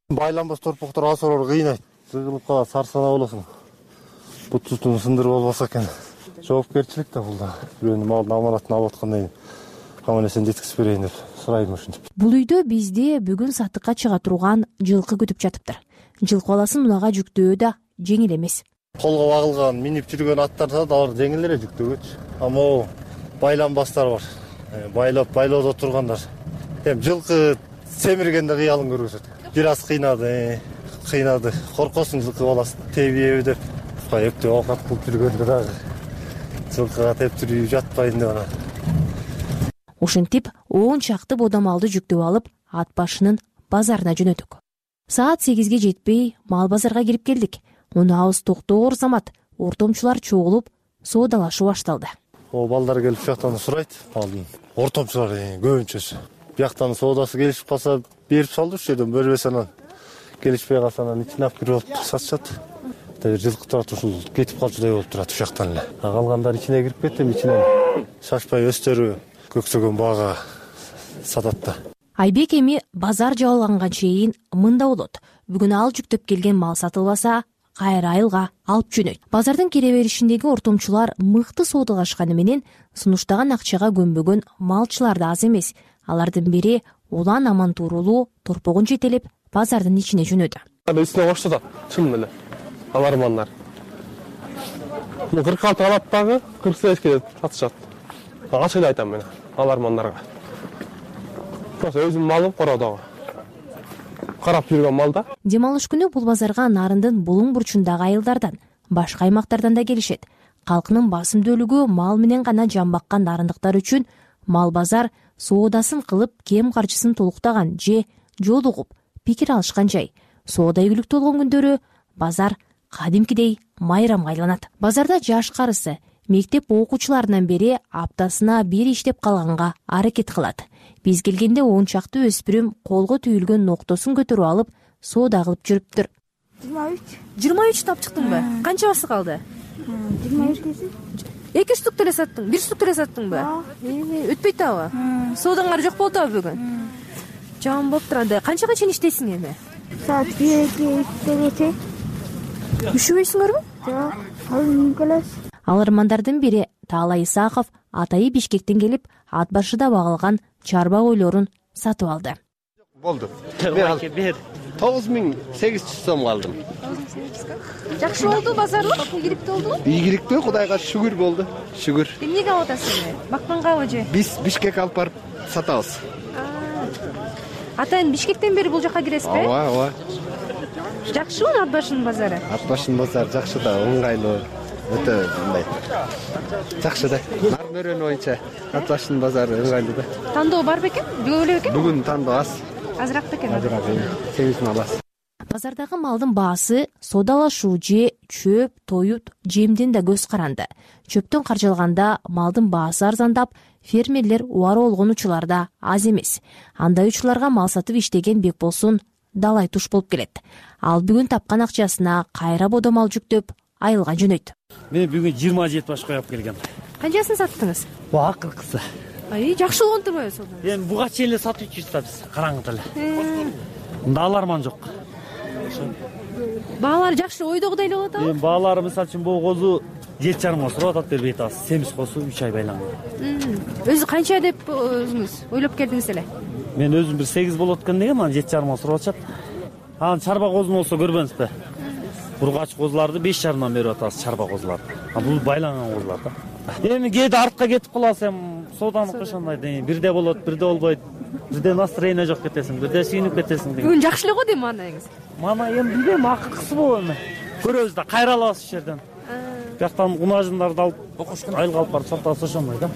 Байланбас торпоктор асыроор кыйнайт. Сыгылып калат, сарсана болосуң. Бут сутун сындырып албаса экен. Жоопкерчилик да бул да. Бирөөнүн малдын аманатын алып аткандай каманесин жеткизип берейин деп сурайм ушинтип. Бул үйдө бизде бүгүн сатыкка чыга турган жылкы күтүп жатыптыр. Жылкы баласын унага жүктөө да жеңил эмес. Колго багылган, минип жүргөн аттар да алар жеңил эле жүктөгөчү. Ама байланбастар бар. Байлап, байлоодо тургандар. Эми жылкы семиргенде кыялын көргөзөт. Бир аз кыйнады, кыйнады. Коркосуң жылкы баласын тебиеби деп. Эптеп оокат кылып жүргөндө дагы жылкыга тептирүү жатпайын деп анан. Ушинтип он чакты бодо малды жүктөп алып, ат башынын базарына жөнөдүк. Саат сегизге жетпей мал базарга кирип келдик. Унаабыз токтоор замат, ортомчулар чогулуп, соодалашуу башталды. О, балдар келип жактан сурайт, малдын ортомчулар көбүнчөсү. Бияктан соодасы келишип калса берип салды, ушу жерден бербесе анан келишпей калса анан ичине алып кирип алып сатышат. Жылкы турат, ушул кетип калчудай болуп турат ушул жактан эле. Калгандар ичине кирип кетти, ичинен шашпай өстөрү көксөгөн баага сатат да. Айбек эми базар жабылганга чейин мында болот. Бүгүн ал жүктөп келген мал сатылбаса, кайра айылга алып жөнөйт. Базардын кире беришиндеги ортомчулар мыкты соодалашканы менен сунуштаган акчага көнбөгөн малчылар да аз эмес. Алардын бири улан аман туурулуу торпогун жетелеп базардын ичине жөнөдү. Үстүнө коштотот, чын эле. Алармандар. кырк алты алаттагы кырк сегизге сатышат. Ачык эле айтам мен алармандарга. Просто өзүм малым кородогу. Карап жүргөн малда. Дем алыш күнү бул базарга нарындын булуң бурчундагы айылдардан, башка аймактардан да келишет. Калкынын басымдуулугу мал менен гана жан баккан нарындыктар үчүн мал базар соодасын кылып, кем каржысын толуктаган же жолугуп пикир алышкан жай. Соода ийгиликтүү болгон күндөрү базар кадимкидей майрамга айланат. Базарда жаш карысы мектеп окуучуларынан бери аптасына бир иштеп калганга аракет кылат. Биз келгенде он чакты өспүрүм колго түйүлгөн ноктосун көтөрүп алып, соода кылып жүрүптүр. жыйырма үч. жыйырма үч таап чыктыңбы? Канча басы калды? жыйырма экиси. эки штук деле саттың, бир штук деле саттыңбы? Өтпөйт абы. Соодаңар жок болду абы бүгүн? Жаман болуптур анда. Канчага чейин иштейсиң эми? Саат бирге үчкө. Үшүбөйсүңөрбү? Жок, ал келес. Алармандардын бири Таалай Исаков атайы Бишкектен келип, ат башыда багылган чарба койлорун сатып алды. Болду. Мен тогуз миң сегиз жүз сом алдым. Жакшы болду базарлык, ийгиликтүү болдубу? Ийгиликтүү, Кудайга шүгүр болду. Шүгүр. Эмнеге алып атасыз? Баккангабы же? Биз Бишкекке алып барып сатабыз. Атайын Бишкектен бери бул жака киресизби? Ооба, ооба. Жакшыбы Ат башынын базары? Ат башынын базары жакшы да, ыңгайлуу. Өтө мындай. Жакшы да. Нарын өрөнү боюнча Ат башынын базары ыңгайлуу да. Тандоо бар бекен? Бүгүн эле бекен? Бүгүн тандоо аз. Азыраак бекен? Азыраак. сегиз миң аласыз. Базардагы малдын баасы соодалашуу же чөп, тоют, жемден да көз каранды. Чөптөн каржалганда малдын баасы арзандап, фермерлер убары болгон учурлар да аз эмес. Андай учурларга мал сатып иштеген Бекболсун далай туш болуп келет. Ал бүгүн тапкан акчасына кайра бодо мал жүктөп, айылга жөнөйт. Мен бүгүн жыйырма жети баш коюп келгем. Канчасын саттыңыз? Бу акыркысы. Ай, жакшы болгон турбайбы сонда? Эми буга чейин эле сатып жүрүбүз да биз, караңгы эле. Мында аларман жок. Баалар жакшы ойдогудай эле болот атабы? Эми баалары мисалы үчүн бул козу жети жарымга сурап атат бербей атабыз. Семиз козу үч ай байланган. Өзү канча деп өзүңүз ойлоп келдиңиз эле? Мен өзүм бир сегиз болот экен дегем, анан жети жарымга сурап атышат. Анан чарба козуну болсо көрбөңүзбү? Бургач козуларды беш жарымдан берип атабыз, чарба козуларды. А бул байланган козулар да. Эми кээде артка кетип калабыз, эми сооданыкы ошондой дейм. Бирде болот, бирде болбойт. Бирде настроение жок кетесиң, бирде сүйүнүп кетесиң деген. Бүгүн жакшы эле го дейм манайыңыз. Мана эми билбейм, акыркысы болобу эми. Көрөбүз да, кайра алабыз ушул жерден. Бияктан унажындарды алып, айылга алып барып сатабыз ошондой да.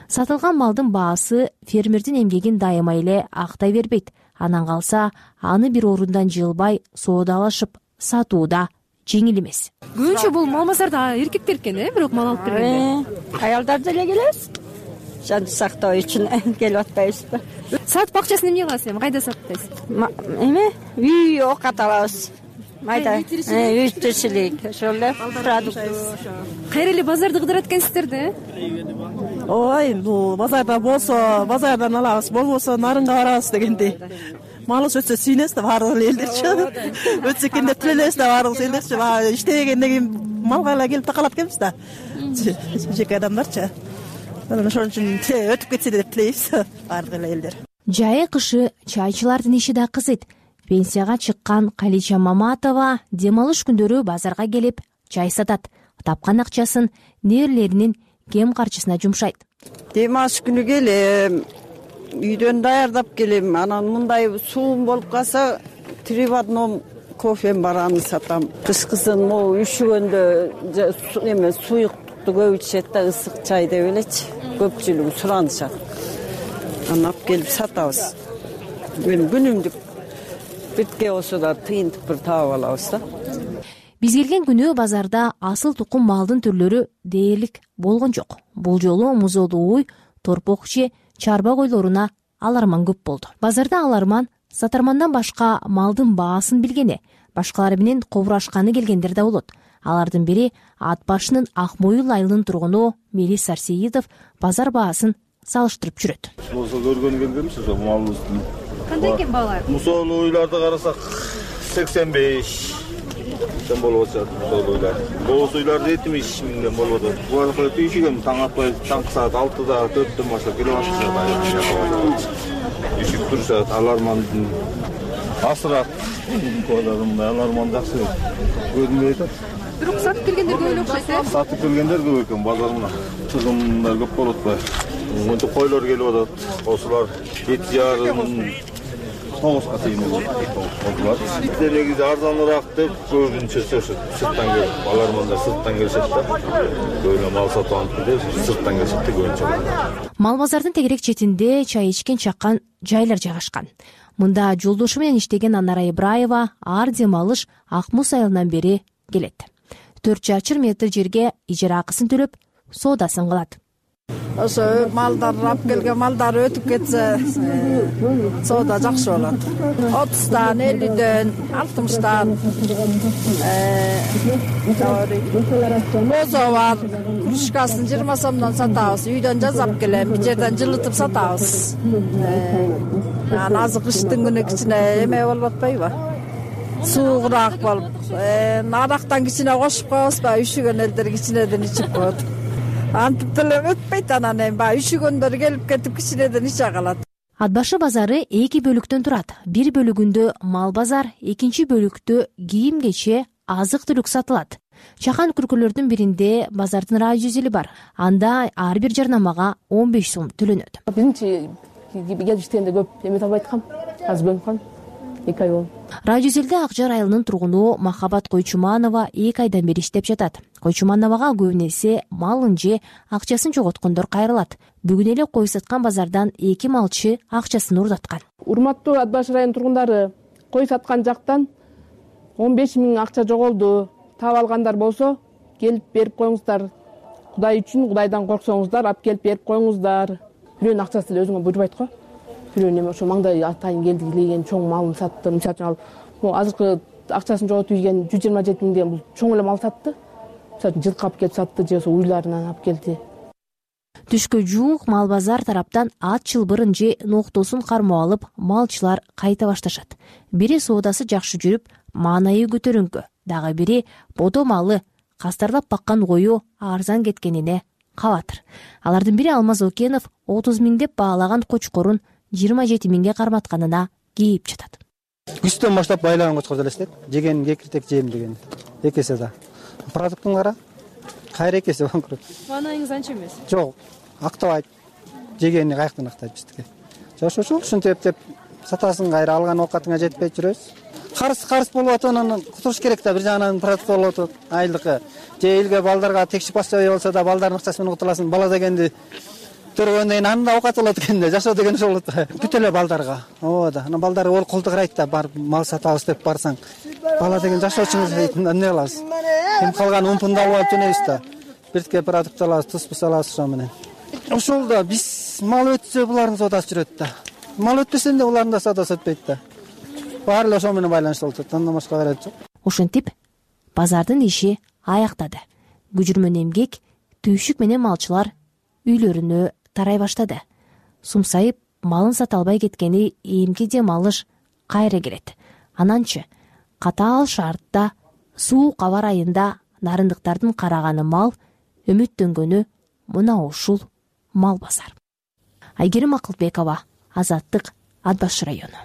Сатылган малдын баасы фермердин эмгегин дайыма эле актай бербейт. Анан калса, аны бир орундан жылбай соодалашып сатууда жеңил эмес. Көбүнчө бул мал базарда эркектер экен, э, бирок мал алып бергенде. Аялдар деле келебиз. Жан сактоо үчүн келип атпайбызбы? Сатып акчасын эмне кыласыз эми? Кайда сатпайсыз? Эме? Үй оокат алабыз. Майда үй тиричилик, ошол эле продукт. Кайра эле базарды кыдырат экенсиздер да, э? Ой, бул базарда болсо базардан алабыз, болбосо нарынга барабыз дегендей. Малыбыз өтсө сүйүнөбүз да баардык элдерчи. Өтсө экенде тилебиз да баардык элдерчи. Иштебегенден кийин малга эле келип такалат экенбиз да. Жеке адамдарчы. Ошон үчүн өтүп кетсе деп тилейбиз баардык эле элдер. Жайы кышы чайчылардын иши да кызыйт. Пенсияга чыккан Калича Маматова дем алыш күндөрү базарга келип чай сатат. Тапкан акчасын нээрлеринин кем карчысына жумшайт. Дем алыш күнү келем, үйдөн даярдап келем. Анан мындай суум болуп калса, три в одном кофем бар, аны сатам. Кышкысын могу үшүгөндө эме суюктукту көп ичет да, ысык чай деп элечи. Көпчүлүгү суранышат. Анан алып келип сатабыз. Мен күнүмдүк битке болсо да тыйынтып бир таап алабыз да. Биз келген күнү базарда асыл тукум малдын түрлөрү дээрлик болгон жок. Бул жолу музоолуу уй, торпок же чарба койлоруна аларман көп болду. Базарда аларман сатармандан башка малдын баасын билгени, башкалары менен кобурашканы келгендер да болот. Алардын бири Ат башынын Ак Моюл айылынын тургуну Мелис Сарсеитов базар баасын салыштырып жүрөт. Болсо көргөнү келгенбиз ошо малыбыздын. Кандай экен баалар? Мусоолуу уйларды карасак сексен беш сен болуп атат. Мусоолуулар. Боз уйларды жетимиш миңден болуп атат. Буга тийишиген таң атпай, таңкы саат алтыда, төрттөн баштап келип атышат. Ишик турушат, алармандын асырат. Аларман жакшы көрүнбөй атат. Бирок сатып келгендер көп эле окшойт, э? Сатып келгендер көп экен, базарына. Чыгымдар көп болуп атпайбы? Мынтип койлор келип атат. Осулар жети жарым тогузга чейин болот. Негизи арзаныраак деп көбүнчө сырттан келип, алармандар сырттан келишет да. Көбүнө мал сатып алып деп сырттан келишет да көбүнчө. Мал базардын тегерек четинде чай ичкен чакан жайлар жайгашкан. Мында жолдошу менен иштеген Анара Ибраева ар дем алыш Ак Муз айылынан бери келет. төрт чачыр метр жерге ижара акысын төлөп, соодасын кылат. Ошо малдар алып келген малдар өтүп кетсе, соода жакшы болот. отуздан, элүүдөн, алтымыштан бозо бар. Кружкасын жыйырма сомдон сатабыз. Үйдөн жазап келем, бир жерден жылытып сатабыз. Анан азыр кыштын күнү кичине эме болуп атпайбы? Суугураак болуп, арактан кичине кошуп коебузбу? Үшүгөн элдер кичинеден ичип коет. антип деле өтпөйт, анан эми баягы üşүгөндөр келип кетип кичинеден иче калат. Ат башы базары эки бөлүктөн турат. Бир бөлүгүндө мал базар, экинчи бөлүктө кийим кече, азык түлүк сатылат. Чакан күркөлөрдүн биринде базардын радио бар. Анда ар бир жарнамага он беш сом төлөнөт. Биринчи келип иштегенде көп эме табай аткам. Азыр көнүп калдым. эки ай болду. Радиозелде Акжар айылынын тургуну Махабат Койчуманова эки айдан бери иштеп жатат. Койчумановага көбүнесе малын же акчасын жоготкондор кайрылат. Бүгүн эле кой саткан базардан эки малчы акчасын урдаткан. Урматтуу Ат башы районунун тургундары, кой саткан жактан он беш миң акча жоголду. Таап алгандар болсо, келип берип коюңуздар. Кудай үчүн, Кудайдан корксоңуздар, алып келип берип коюңуздар. Бирөөнүн акчасы деле өзүңө буйрубайт го. Бирөөнүн эме ошо маңдай атайын келди деген чоң малын сатты. Мисалы үчүн ал могу азыркы акчасын жоготуп ийген жүз жыйырма жети миң деген бул чоң эле мал сатты. Мисалы үчүн жылкы алып келип сатты же ошо уйларынан алып келди. Түшкө жуук мал базар тараптан ат чылбырын же ноктосун кармап алып, малчылар кайта башташат. Бири соодасы жакшы жүрүп, маанайы көтөрүңкү, дагы бири бодо малы кастарлап баккан кою арзан кеткенине кабатыр. Алардын бири Алмаз Окенов отуз миң деп баалаган кочкорун жыйырма жети миңге карматканына кейип жатат. Күздөн баштап байлаган кочкор элестет. Жеген кекиртек жейм деген. Эки эсе да. Продуктун кара кайра эки эсе банкрот. Маанайыңыз анча эмес. Жок, актабайт. Жегени каяктан актайт биздики. Жашоочу ушинтип эптеп сатасын кайра алган оокатыңа жетпей жүрөбүз. Карыс карыс болуп атат, анан кутуруш керек да, бир жагынан продукт болуп атат. Айлыкы же элге балдарга текшип басчабай болсо да балдардын акчасы менен кутуласың. Бала дегенди төрөгөндөн кийин анда оокат болот экен да, жашоо деген ошол болот да. Бүт эле балдарга. Ооба да. Анан балдар ол колду карайт да, барып мал сатабыз деп барсаң. Бала деген жашоочуңуз дейт, эмне кылабыз? Ким калган умпунду алып алып жөнөйбүз да. Биртке продукт алабыз, туз-пуз алабыз ошо менен. Ошол да биз мал өтсө булардын соодасы жүрөт да. Мал өтпөсө да булардын да соодасы өтпөйт да. Баары эле ошол менен байланыштуу болуп атат. Андан башка каражат жок. Ушинтип базардын иши аяктады. Күжүрмөн эмгек, түйшүк менен малчылар үйлөрүнө тарай баштады. Сумсайып, малын сата албай кеткени эмки дем алыш кайра келет. Ананчы катаал шартта суук аба айында нарындыктардын караганы мал, үмүттөнгөнү мына ушул мал базар. Айгерим Акылбекова, Азаттык, Ат башы району.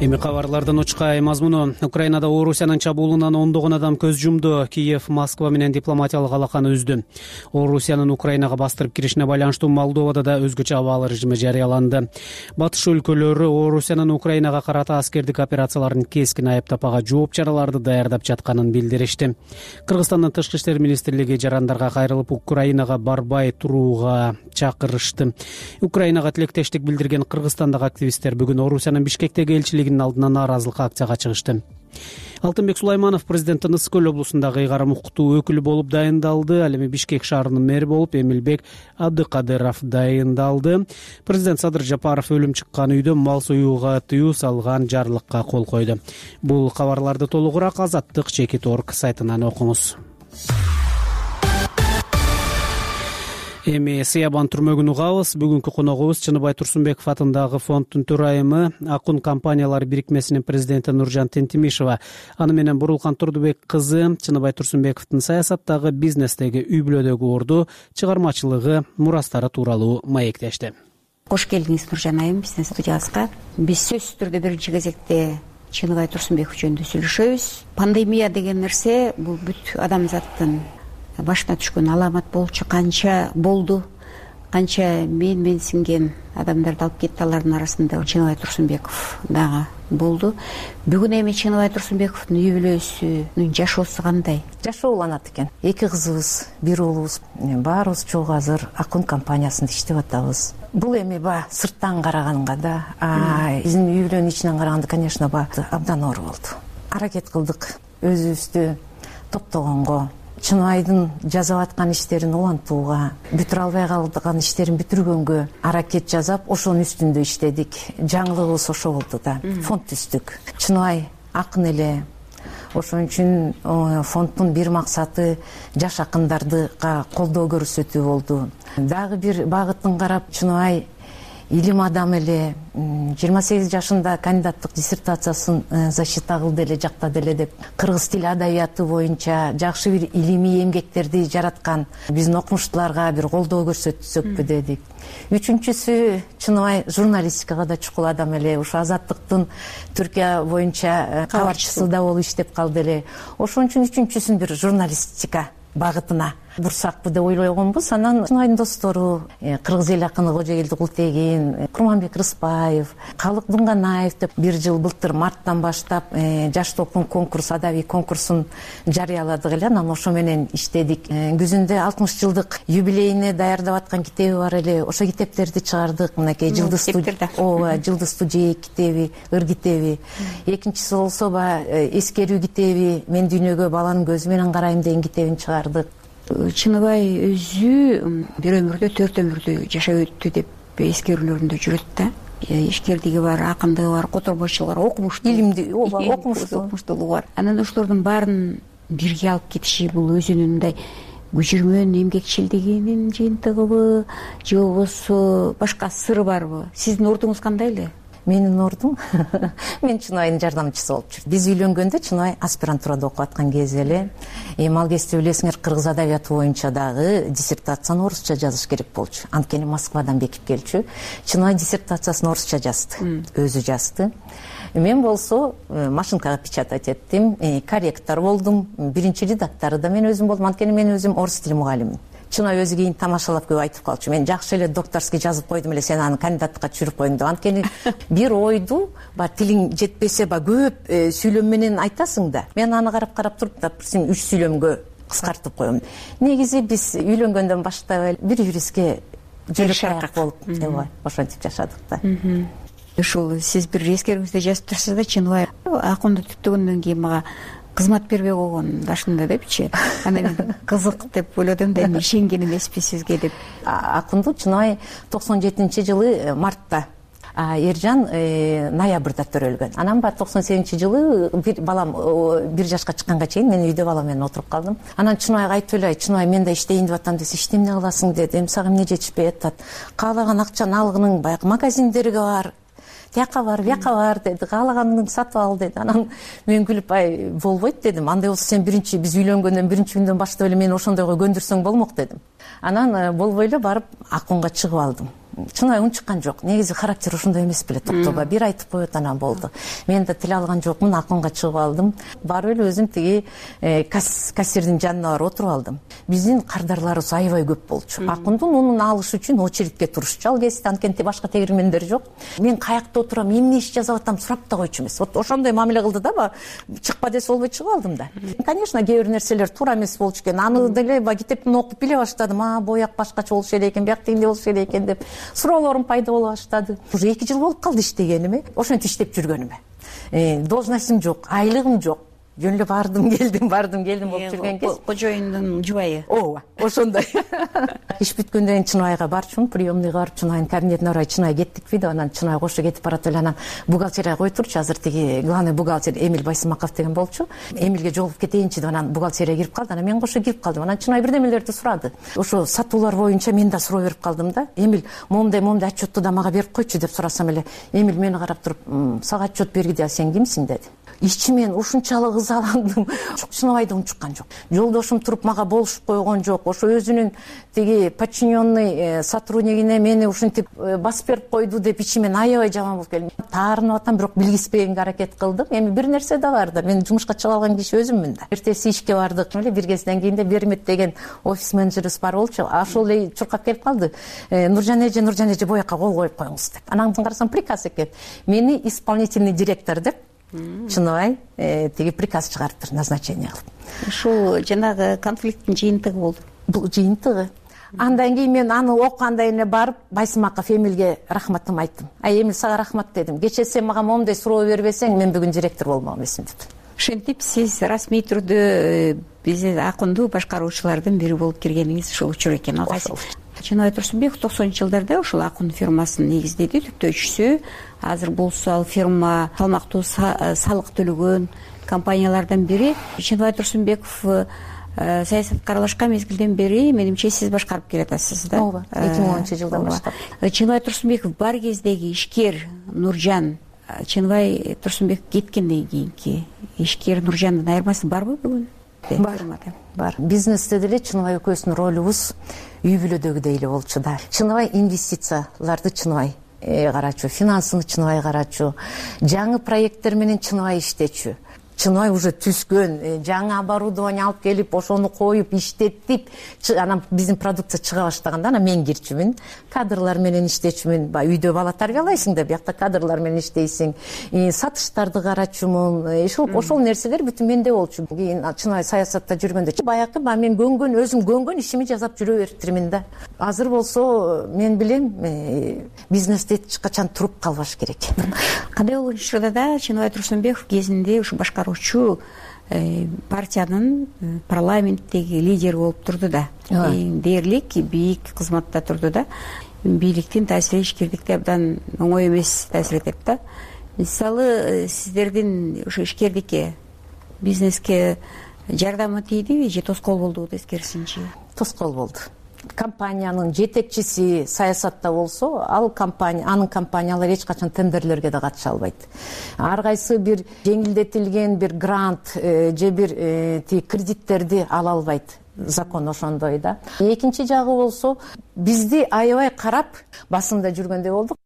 Эми кабарлардын учкай мазмуну. Украинада Орусиянын чабуулунан ондогон адам көз жумду. Киев Москва менен дипломатиялык алаканы үздү. Орусиянын Украинага бастырып киришине байланыштуу Молдовада да өзгөчө абал режими жарыяланды. Батыш өлкөлөрү Орусиянын Украинага карата аскердик операцияларын кескин айыптап, ага жооп чараларды даярдап жатканын билдиришти. Кыргызстандын тышкы иштер министрлиги жарандарга кайрылып, Украинага барбай турууга чакырышты. Украинага тилектештик билдирген кыргызстандагы активисттер бүгүн Орусиянын Бишкектеги элчилигинин алдына нааразылык акцияга чыгышты. Алтынбек Сулайманов президенттин Ысык көл облусундагы ыйгарым укуктуу өкүлү болуп дайындалды. Ал эми Бишкек шаарынын мэри болуп Эмилбек Абдыкадыров дайындалды. Президент Садыр Жапаров өлүм чыккан үйдө мал союуга тыюу салган жарлыкка кол койду. Бул кабарларды толугураак Азаттык чекит точка орг сайтынан окуңуз. Эми Сыябан түрмөгүн угабыз. Бүгүнкү коногубуз Чыныбай Турсунбеков атындагы фонддун төрайымы, Акун компаниялар бирикмесинин президенти Нуржан Тентимишева. Аны менен Бурулкан Турдубек кызы Чыныбай Турсунбековдун саясаттагы, бизнестеги, үй бүлөдөгү орду, чыгармачылыгы, мурастары тууралуу маектешти. Кош келдиңиз Нуржан айым бизнес студиясына. Биз сөзсүз түрдө биринчи кезекте Чыныбай Турсунбеков жөнүндө сүйлөшөбүз. Пандемия деген нерсе бул бүт адамзаттын башына түшкөн аламат болчу, канча болду, канча мен мен синген адамдарды алып кетти. Алардын арасында Чыныбай Турсунбеков дагы болду. Бүгүн эми Чыныбай Турсунбековдун үй бүлөсүнүн жашоосу кандай? Жашоо уланат экен. Эки кызыбыз, бир уулубуз, баарыбыз чогуу азыр Акун компаниясында иштеп атабыз. Бул эми ба сырттан караганга да, а биздин үй бүлөнүн ичинен караганда, конечно, ба абдан оор болду. Аракет кылдык өзүбүздү топтогонго, Чыныбайдын жазап аткан иштерин улантууга, бүтүрө албай калган иштерин бүтүргөнгө аракет жасап, ошонун үстүндө иштедик. Жаңылыгыбыз ошо болду да. Фонд түздүк. Чыныбай акын эле. Ошон үчүн фонддун бир максаты жаш акындардыга колдоо көрсөтүү болду. Дагы бир багытын карап, Чыныбай илим адамы эле, жыйырма сегиз жашында кандидаттык диссертациясын защита кылды эле, жактады эле деп, кыргыз тили адабияты боюнча жакшы бир илимий эмгектерди жараткан биздин окумуштууларга бир колдоо көрсөтсөкпү дедик. Үчүнчүсү чыныбай журналистикага да чукул адам эле, ушу Азаттыктын Түркия боюнча кабарчысы да болуп иштеп калды эле. Ошон үчүн үчүнчүсүн бир журналистика багытына бурсакпы деп ойлогонбуз. Анан чынайдын достору кыргыз эл акыны Кожоэлди Култегин, Курманбек Рыспаев, Калык Дунганаев деп бир жыл былтыр марттан баштап жаш толкун конкурс, адабий конкурсун жарыяладык эле. Анан ошо менен иштедик. Күзүндө алтымыш жылдык юбилейине даярдап аткан китеби бар эле. Ошо китептерди чыгардык. Мынакей Жылдыз ооба, Жылдыз Тужейек китеби, Ыр китеби. Экинчиси болсо баягы эскерүү китеби, Мен дүйнөгө баланын көзү менен карайм деген китебин чыгардык. Чыныбай өзү бир өмүрдө төрт өмүрдү жашап өттү деп эскерүүлөрүндө жүрөт да. Ишкердиги бар, акындыгы бар, которбойчулугу бар, окумуштуу, илимди, ооба, окумуштуулугу бар. Анан ошолордун баарын бирге алып кетиши бул өзүнүн мындай көчүрмөн эмгекчилдигинин жыйынтыгыбы, же болбосо башка сыры барбы? Сиздин ордуңуз кандай эле? Менин ордум мен Чыныбайдын жардамчысы болуп жүрдүм. Биз үйлөнгөндө Чыныбай аспирантурада окуп аткан кези эле. Эми ал кезде билесиңер, кыргыз адабияты боюнча дагы диссертацияны орусча жазыш керек болчу. Анткени Москвадан бекип келчү. Чыныбай диссертациясын орусча жазды, өзү жазды. Мен болсо машинкага печатать эттим, корректор болдум, биринчи редактору да мен өзүм болдум. Анткени мен өзүм орус тили мугалимимин. Чыныбай өзү кийин тамашалап көп айтып калчу. Мен жакшы эле докторский жазып койдум эле, сен аны кандидаттыкка түшүрүп койдуң деп. Анткени бир ойду ба тилиң жетпесе ба көп сүйлөм менен айтасың да. Мен аны карап-карап туруп, допустим, үч сүйлөмгө кыскартып коем. Негизи биз үйлөнгөндөн баштап бир юристке жөлөк болуп, ооба, ошентип жашадык да. Ушул сиз бир эскерүүңүздө жазып турсуз да, Чыныбай акынды түптөгөндөн кийин мага кызмат бербей койгон башында депчи. Анан мен кызык деп ойлодум да, эми ишенген эмеспи сизге деп. Акынды Чыныбай токсон жетинчи жылы мартта, Эржан ноябрда төрөлгөн. Анан ба токсон сегизинчи жылы бир балам бир жашка чыкканга чейин мен үйдө балам менен отуруп калдым. Анан Чыныбайга айтып эле, Чыныбай мен да иштейин деп атам десе, иште эмне кыласың деди. Эми сага эмне жетишпей атат? Каалаган акчаны алгының баягы магазиндерге бар, тияка бар, бияка бар деди. Каалаганыңды сатып ал деди. Анан мен күлүп, ай болбойт дедим. Андай болсо сен биринчи биз үйлөнгөндөн биринчи күндөн баштап эле мени ошондойго көндүрсөң болмок дедим. Анан болбой эле барып аконго чыгып алдым. Чыныбай унчуккан жок. Негизи характер ошондой эмес беле, токтоба бир айтып коет, анан болду. Мен да тил алган жокмун, аконго чыгып алдым. Барып эле өзүм тиги кассирдин жанына барып отуруп алдым. Биздин кардарларыбыз аябай көп болчу. Акындын унун алыш үчүн очередке турушчу. Ал кезде анткени башка тегирмендер жок. Мен каякта отурам, эмне иш жазып атам сурап да койчу эмес. Вот ошондой мамиле кылды да, чыкпа десе болбой чыгып алдым да. Конечно, кээ бир нерселер туура эмес болчу экен. Аны деле китептин окуп биле баштадым. А, бояк башкача болушу керек экен, бияк тигиндей болушу керек экен деп суроолорум пайда боло баштады. Уже эки жыл болуп калды иштегениме, ошентип иштеп жүргөнүмө. Должностум жок, айлыгым жок. Жөн эле бардым, келдим, бардым, келдим болуп жүргөн кез. Кожоюндун жубайы. Ооба, ошондой. Иш бүткөндөн кийин Чыныбайга барчумун, приемныйга барып, Чыныбайдын кабинетине барып, Чыныбай кеттикпи деп, анан Чыныбай кошо кетип барат эле, анан бухгалтерияга кой турчу, азыр тиги главный бухгалтер Эмиль Байсымаков деген болчу. Эмилге жолугуп кетейинчи деп, анан бухгалтерияга кирип калды. Анан мен кошо кирип калдым. Анан Чыныбай бирдемелерди сурады. Ошо сатуулар боюнча мен да суроо берип калдым да. Эмиль, момундай момундай отчетту да мага берип койчу деп сурасам эле, Эмиль мени карап туруп, сага отчет бергиде, сен кимсиң деди. Ичимен ушунчалык ызаландым. Чыныбайды унчуккан жок. Жолдошум туруп мага болушуп койгон жок. Ошо өзүнүн тиги подчиненный сотруднигине мени ушинтип басып берип койду деп ичимен аябай жаман болуп келдим. Таарынып атам, бирок билгизбегенге аракет кылдым. Эми бир нерсе да бар да, мен жумушка чыга алган киши өзүммүн да. Эртеси ишке бардык эле, бир кезден кийин Бермет деген офис менеджерибиз бар болчу. Ошол эле чуркап келип калды. Нуржан эже, Нуржан эже боякка кол коюп коюңуз деп. Анан карасам приказ экен. Мени исполнительный директор деп Чыныбай тиги приказ чыгарыптыр, назначение кылып. Ушул жанагы конфликттин жыйынтыгы болду. Бул жыйынтыгы. Андан кийин мен аны окугандан кийин барып Байсымаков Эмилге рахматымды айттым. Ай, Эмил, сага рахмат дедим. Кечээ сен мага момундай суроо бербесең, мен бүгүн директор болмок эмесмин деп. Ошентип сиз расмий түрдө биздин акынды башкаруучулардын бири болуп киргениңиз ушул учур экен. Ал Чыныбай Турсунбеков токсонунчу жылдарда ушул акын фирмасын негиздеди, түптөөчүсү. Азыр болсо ал фирма салмактуу салык төлөгөн компаниялардан бири. Чыныбай Турсунбеков саясатка аралашкан мезгилден бери менимче сиз башкарып келатасыз да. ооба эки миң онунчу жылдан баштап. Чыныбай Турсунбеков бар кездеги ишкер Нуржан, Чыныбай Турсунбеков кеткенден кийинки ишкер Нуржандын айырмасы барбы бүгүн? Бар, бар. Бизнесте деле Чыныбай экөөбүздүн ролубуз үй бүлөдөгүдөй эле болчу да. Чыныбай инвестицияларды Чыныбай карачу, финансыны Чыныбай карачу, жаңы проекттер менен Чыныбай иштечү. Чыныбай уже түскөн, жаңы оборудование алып келип, ошону коюп, иштетип, анан биздин продукция чыга баштаганда анан мен кирчүмүн. Кадрлар менен иштечүмүн. Үйдө бала тарбиялайсың да, биякта кадрлар менен иштейсиң. Сатыштарды карачумун. Ошол нерселер бүтүн менде болчу. Кийин Чыныбай саясатта жүргөндө баягы мен көнгөн, өзүм көнгөн ишими жасап жүрө бериптирмин да. Азыр болсо мен билем, бизнесте эч качан туруп калбаш керек. Кандай болгон учурда да Чыныбай Турсунбеков кезинде ушу башкар партиянын парламенттеги лидери болуп турду да. Дээрлик, бийик кызматта турду да. Бийликтин таасири ишкердикте абдан оңой эмес таасир этет да. Мисалы, сиздердин ошо ишкердикке, бизнеске жардамы тийдиби же тоскоол болдубу тескерисинчи? Тоскоол болду. Компаниянын жетекчиси саясатта болсо, ал компания, анын компаниялары эч качан тендерлерге да катыша албайт. Ар кайсы бир жеңилдетилген бир грант же бир кредиттерди ала албайт. Закон ошондой да. Экинчи жагы болсо, бизди аябай карап басында жүргөндөй болдук.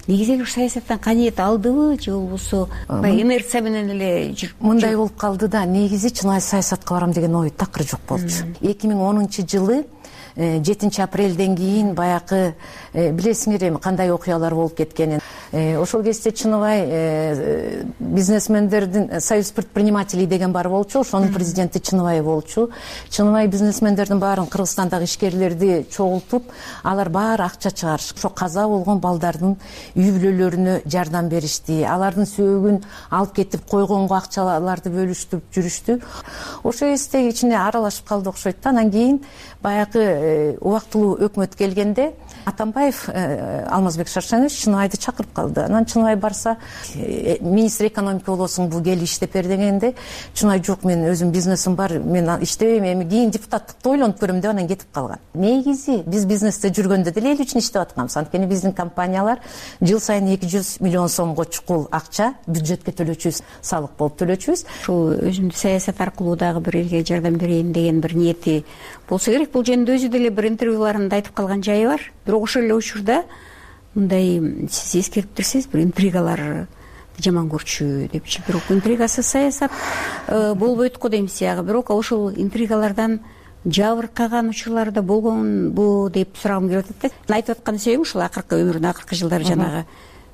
Негизи саясаттан каниет алдыбы же болбосо инерция менен эле жүрүп мындай болуп калды да. Негизи Чыныбай саясатка барам деген ой такыр жок болчу. эки миң онунчу жылы жетинчи апрелден кийин баягы билесиңер эми кандай окуялар болуп кеткенин. Ошол кезде Чыныбай бизнесмендердин Союз предпринимателей деген бар болчу, ошонун президенти Чыныбай болчу. Чыныбай бизнесмендердин баарын Кыргызстандагы ишкерлерди чогултуп, алар баары акча чыгарышып, ошо каза болгон балдардын үй бүлөлөрүнө жардам беришти. Алардын сөөгүн алып кетип койгонго акчаларды бөлүштүрүп жүрүштү. Ошо кезде ичине аралашып калды окшойт да. Анан кийин баягы убактылуу өкмөт келгенде Атамбаев Алмазбек Шаршенович Чыныбайды чакырып калды. Анан Чыныбай барса, министр экономика болосуң, бул кел иштеп бер дегенде, Чыныбай жок, мен өзүм бизнесим бар, мен иштебейм, эми кийин депутаттыкты ойлонуп көрөм деп анан кетип калган. Негизи биз бизнесте жүргөндө деле эл үчүн иштеп атканбыз. Анткени биздин компаниялар жыл сайын эки жүз миллион сомго чукул акча бюджетке төлөчүбүз, салык болуп төлөчүбүз. Ушул өзүмдү саясат аркылуу дагы бир элге жардам берейин деген бир ниети болсо керек. Бул жөнүндө өзү деле бир интервьюларында айтып калган жайы бар. Бирок ошол эле учурда мындай сиз эскериптирсиз, бир интригалар жаман көрчү депчи. Бирок интригасыз саясат болбойт го дейм сиягы. Бирок ошол интригалардан жабыркаган учурлар да болгонбу деп сурагым келип атат да. Айтып аткан себебим ушул акыркы өмүрүнүн акыркы жылдары жанагы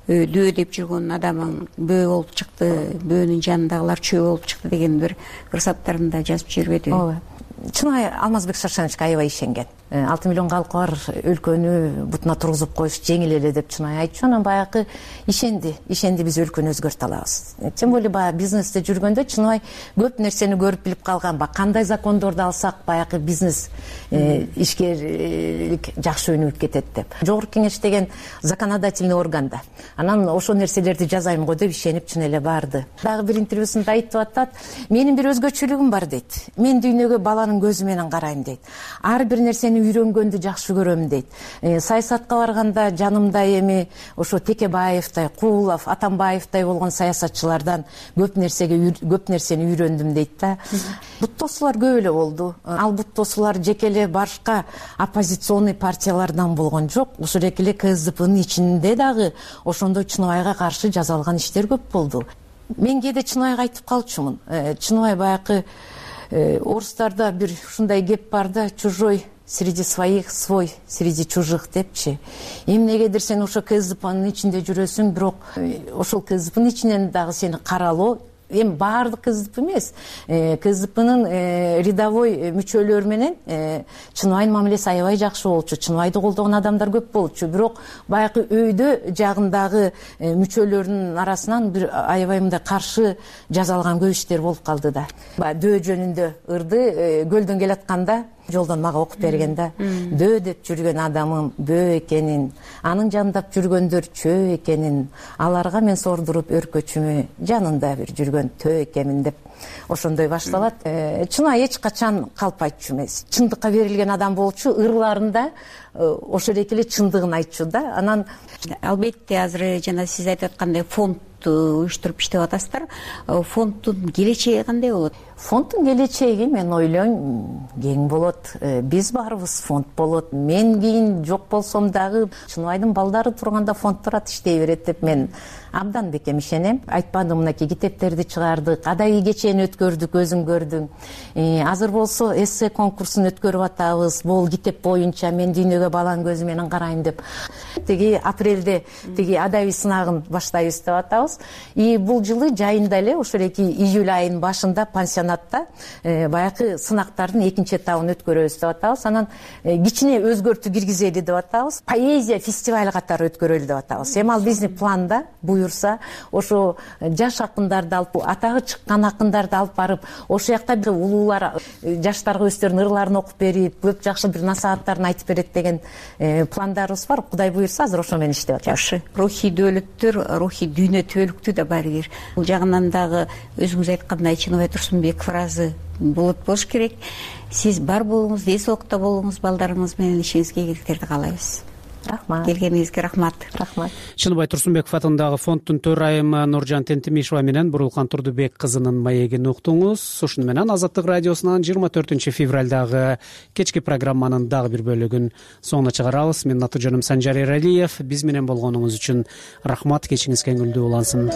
дөө деп жүргөн адамың бөө болуп чыкты, бөөнүн жанындагылар чөө болуп чыкты деген бир кырсаттарында жазып жибербеди. Ооба. Чыныбай Алмазбек Шаршеновичке аябай ишенген. алты миллион калкы бар өлкөнү бутуна тургузуп коюш жеңил эле деп Чыныбай айтчу. Анан баягы ишенди, ишенди биз өлкөнү өзгөртө алабыз. Тем более баягы бизнесте жүргөндө Чыныбай көп нерсени көрүп билип калган. Кандай закондорду алсак баягы бизнес ишкерлик жакшы өнүгүп кетет деп. Жогорку кеңеш деген законодательный органда. Анан ошол нерселерди жазайм го деп ишенип чын эле барды. Дагы бир интервьюсунда айтып атат, менин бир өзгөчөлүгүм бар дейт. Мен дүйнөгө баланын көзү менен карайм дейт. Ар бир нерсени үйрөнгөндү жакшы көрөм дейт. Саясатка барганда жанымда эми ошо Текебаевтай, Куулов, Атамбаевтай болгон саясатчылардан көп нерсеге көп нерсени үйрөндүм дейт да. Буттосулар көп эле болду. Ал буттосулар жеке башка оппозиционный партиялардан болгон жок. Ушул эле КСДПнын ичинде дагы ошондой Чыныбайга каршы жазалган иштер көп болду. Мен кээде Чыныбайга айтып калчумун. Чыныбай баягы орустарда бир ушундай кеп бар да, чужой среди своих, свой среди чужих депчи. Эмнегедир сен ошо КСДПнын ичинде жүрөсүң, бирок ошол КСДПнын ичинен дагы сени каралоо, эми баардык КСДП эмес, КСДПнын рядовой мүчөлөрү менен Чыныбайдын мамилеси аябай жакшы болчу. Чыныбайды колдогон адамдар көп болчу, бирок баягы өйдө жагындагы мүчөлөрүнүн арасынан бир аябай мындай каршы жазалган көп иштер болуп калды да. Дөө жөнүндө ырды көлдөн келатканда жолдон мага окуп берген да. Дөө деп жүргөн адамым бөө экенин, анын жандап жүргөндөр чөө экенин, аларга мен сордуруп өркөчүмө жанында бир жүргөн төө экенмин деп ошондой башталат. Чыныбай эч качан калп айтчу эмес, чындыкка берилген адам болчу, ырларында ошол эле чындыгын айтчу да. Анан албетте азыр жана сиз айтып аткандай фонд уюштуруп иштеп атасыздар. Фонддун келечеги кандай болот? Фонддун келечеги мен ойлойм кең болот. Биз барыбыз фонд болот. Мен кийин жок болсом дагы Чыныбайдын балдары турганда фонд турат, иштей берет деп мен абдан бекем ишенем. Айтпадым, мынакей китептерди чыгардык, адай кечени өткөрдүк, өзүң көрдүң. Азыр болсо эссе конкурсун өткөрүп атабыз. Бул китеп боюнча мен дүйнөгө баланын көзү менен карайм деп. Тиги апрелде тиги адабий сынагын баштайбыз деп атабыз. И бул жылы жайында эле ошол эки июль айынын башында пансионатта баягы сынактардын экинчи этабын өткөрөбүз деп атабыз. Анан кичине өзгөртүү киргизели деп атабыз. Поэзия фестиваль катары өткөрөлү деп атабыз. Эми ал биздин планда буюрса, ошо жаш акындарды алып, атагы чыккан акындарды алып барып, ошол жакта бир улуулар жаштарга өздөрүнүн ырларын окуп берип, көп жакшы бир насааттарын айтып берет деген пландарыбыз бар. Кудай буюрса, азыр ошо менен иштеп атабыз. Жакшы. Рухий дөөлөттөр, рухий дүйнө түбөлүктүү да бар бир. Бул жагынан дагы өзүңүз айткандай Чыныбай Турсунбеков ыраазы болот болуш керек. Сиз бар болуңуз, эс соокта болуңуз, балдарыңыз менен ишиңизге ийгиликтерди каалайбыз. Рахмат. Келгениңизге рахмат. Рахмат. Чыныбай Турсунбеков атындагы фонддун төрайымы Нуржан Тентимишева менен Бурулкан Турдубек кызынын маегин уктуңуз. Ушуну менен Азаттык радиосунан жыйырма төртүнчү февралдагы кечки программанын дагы бир бөлүгүн соңуна чыгарабыз. Менин аты жөнүм Санжар Эралиев. Биз менен болгонуңуз үчүн рахмат. Кечиңиз кеңгүлдүү улансын.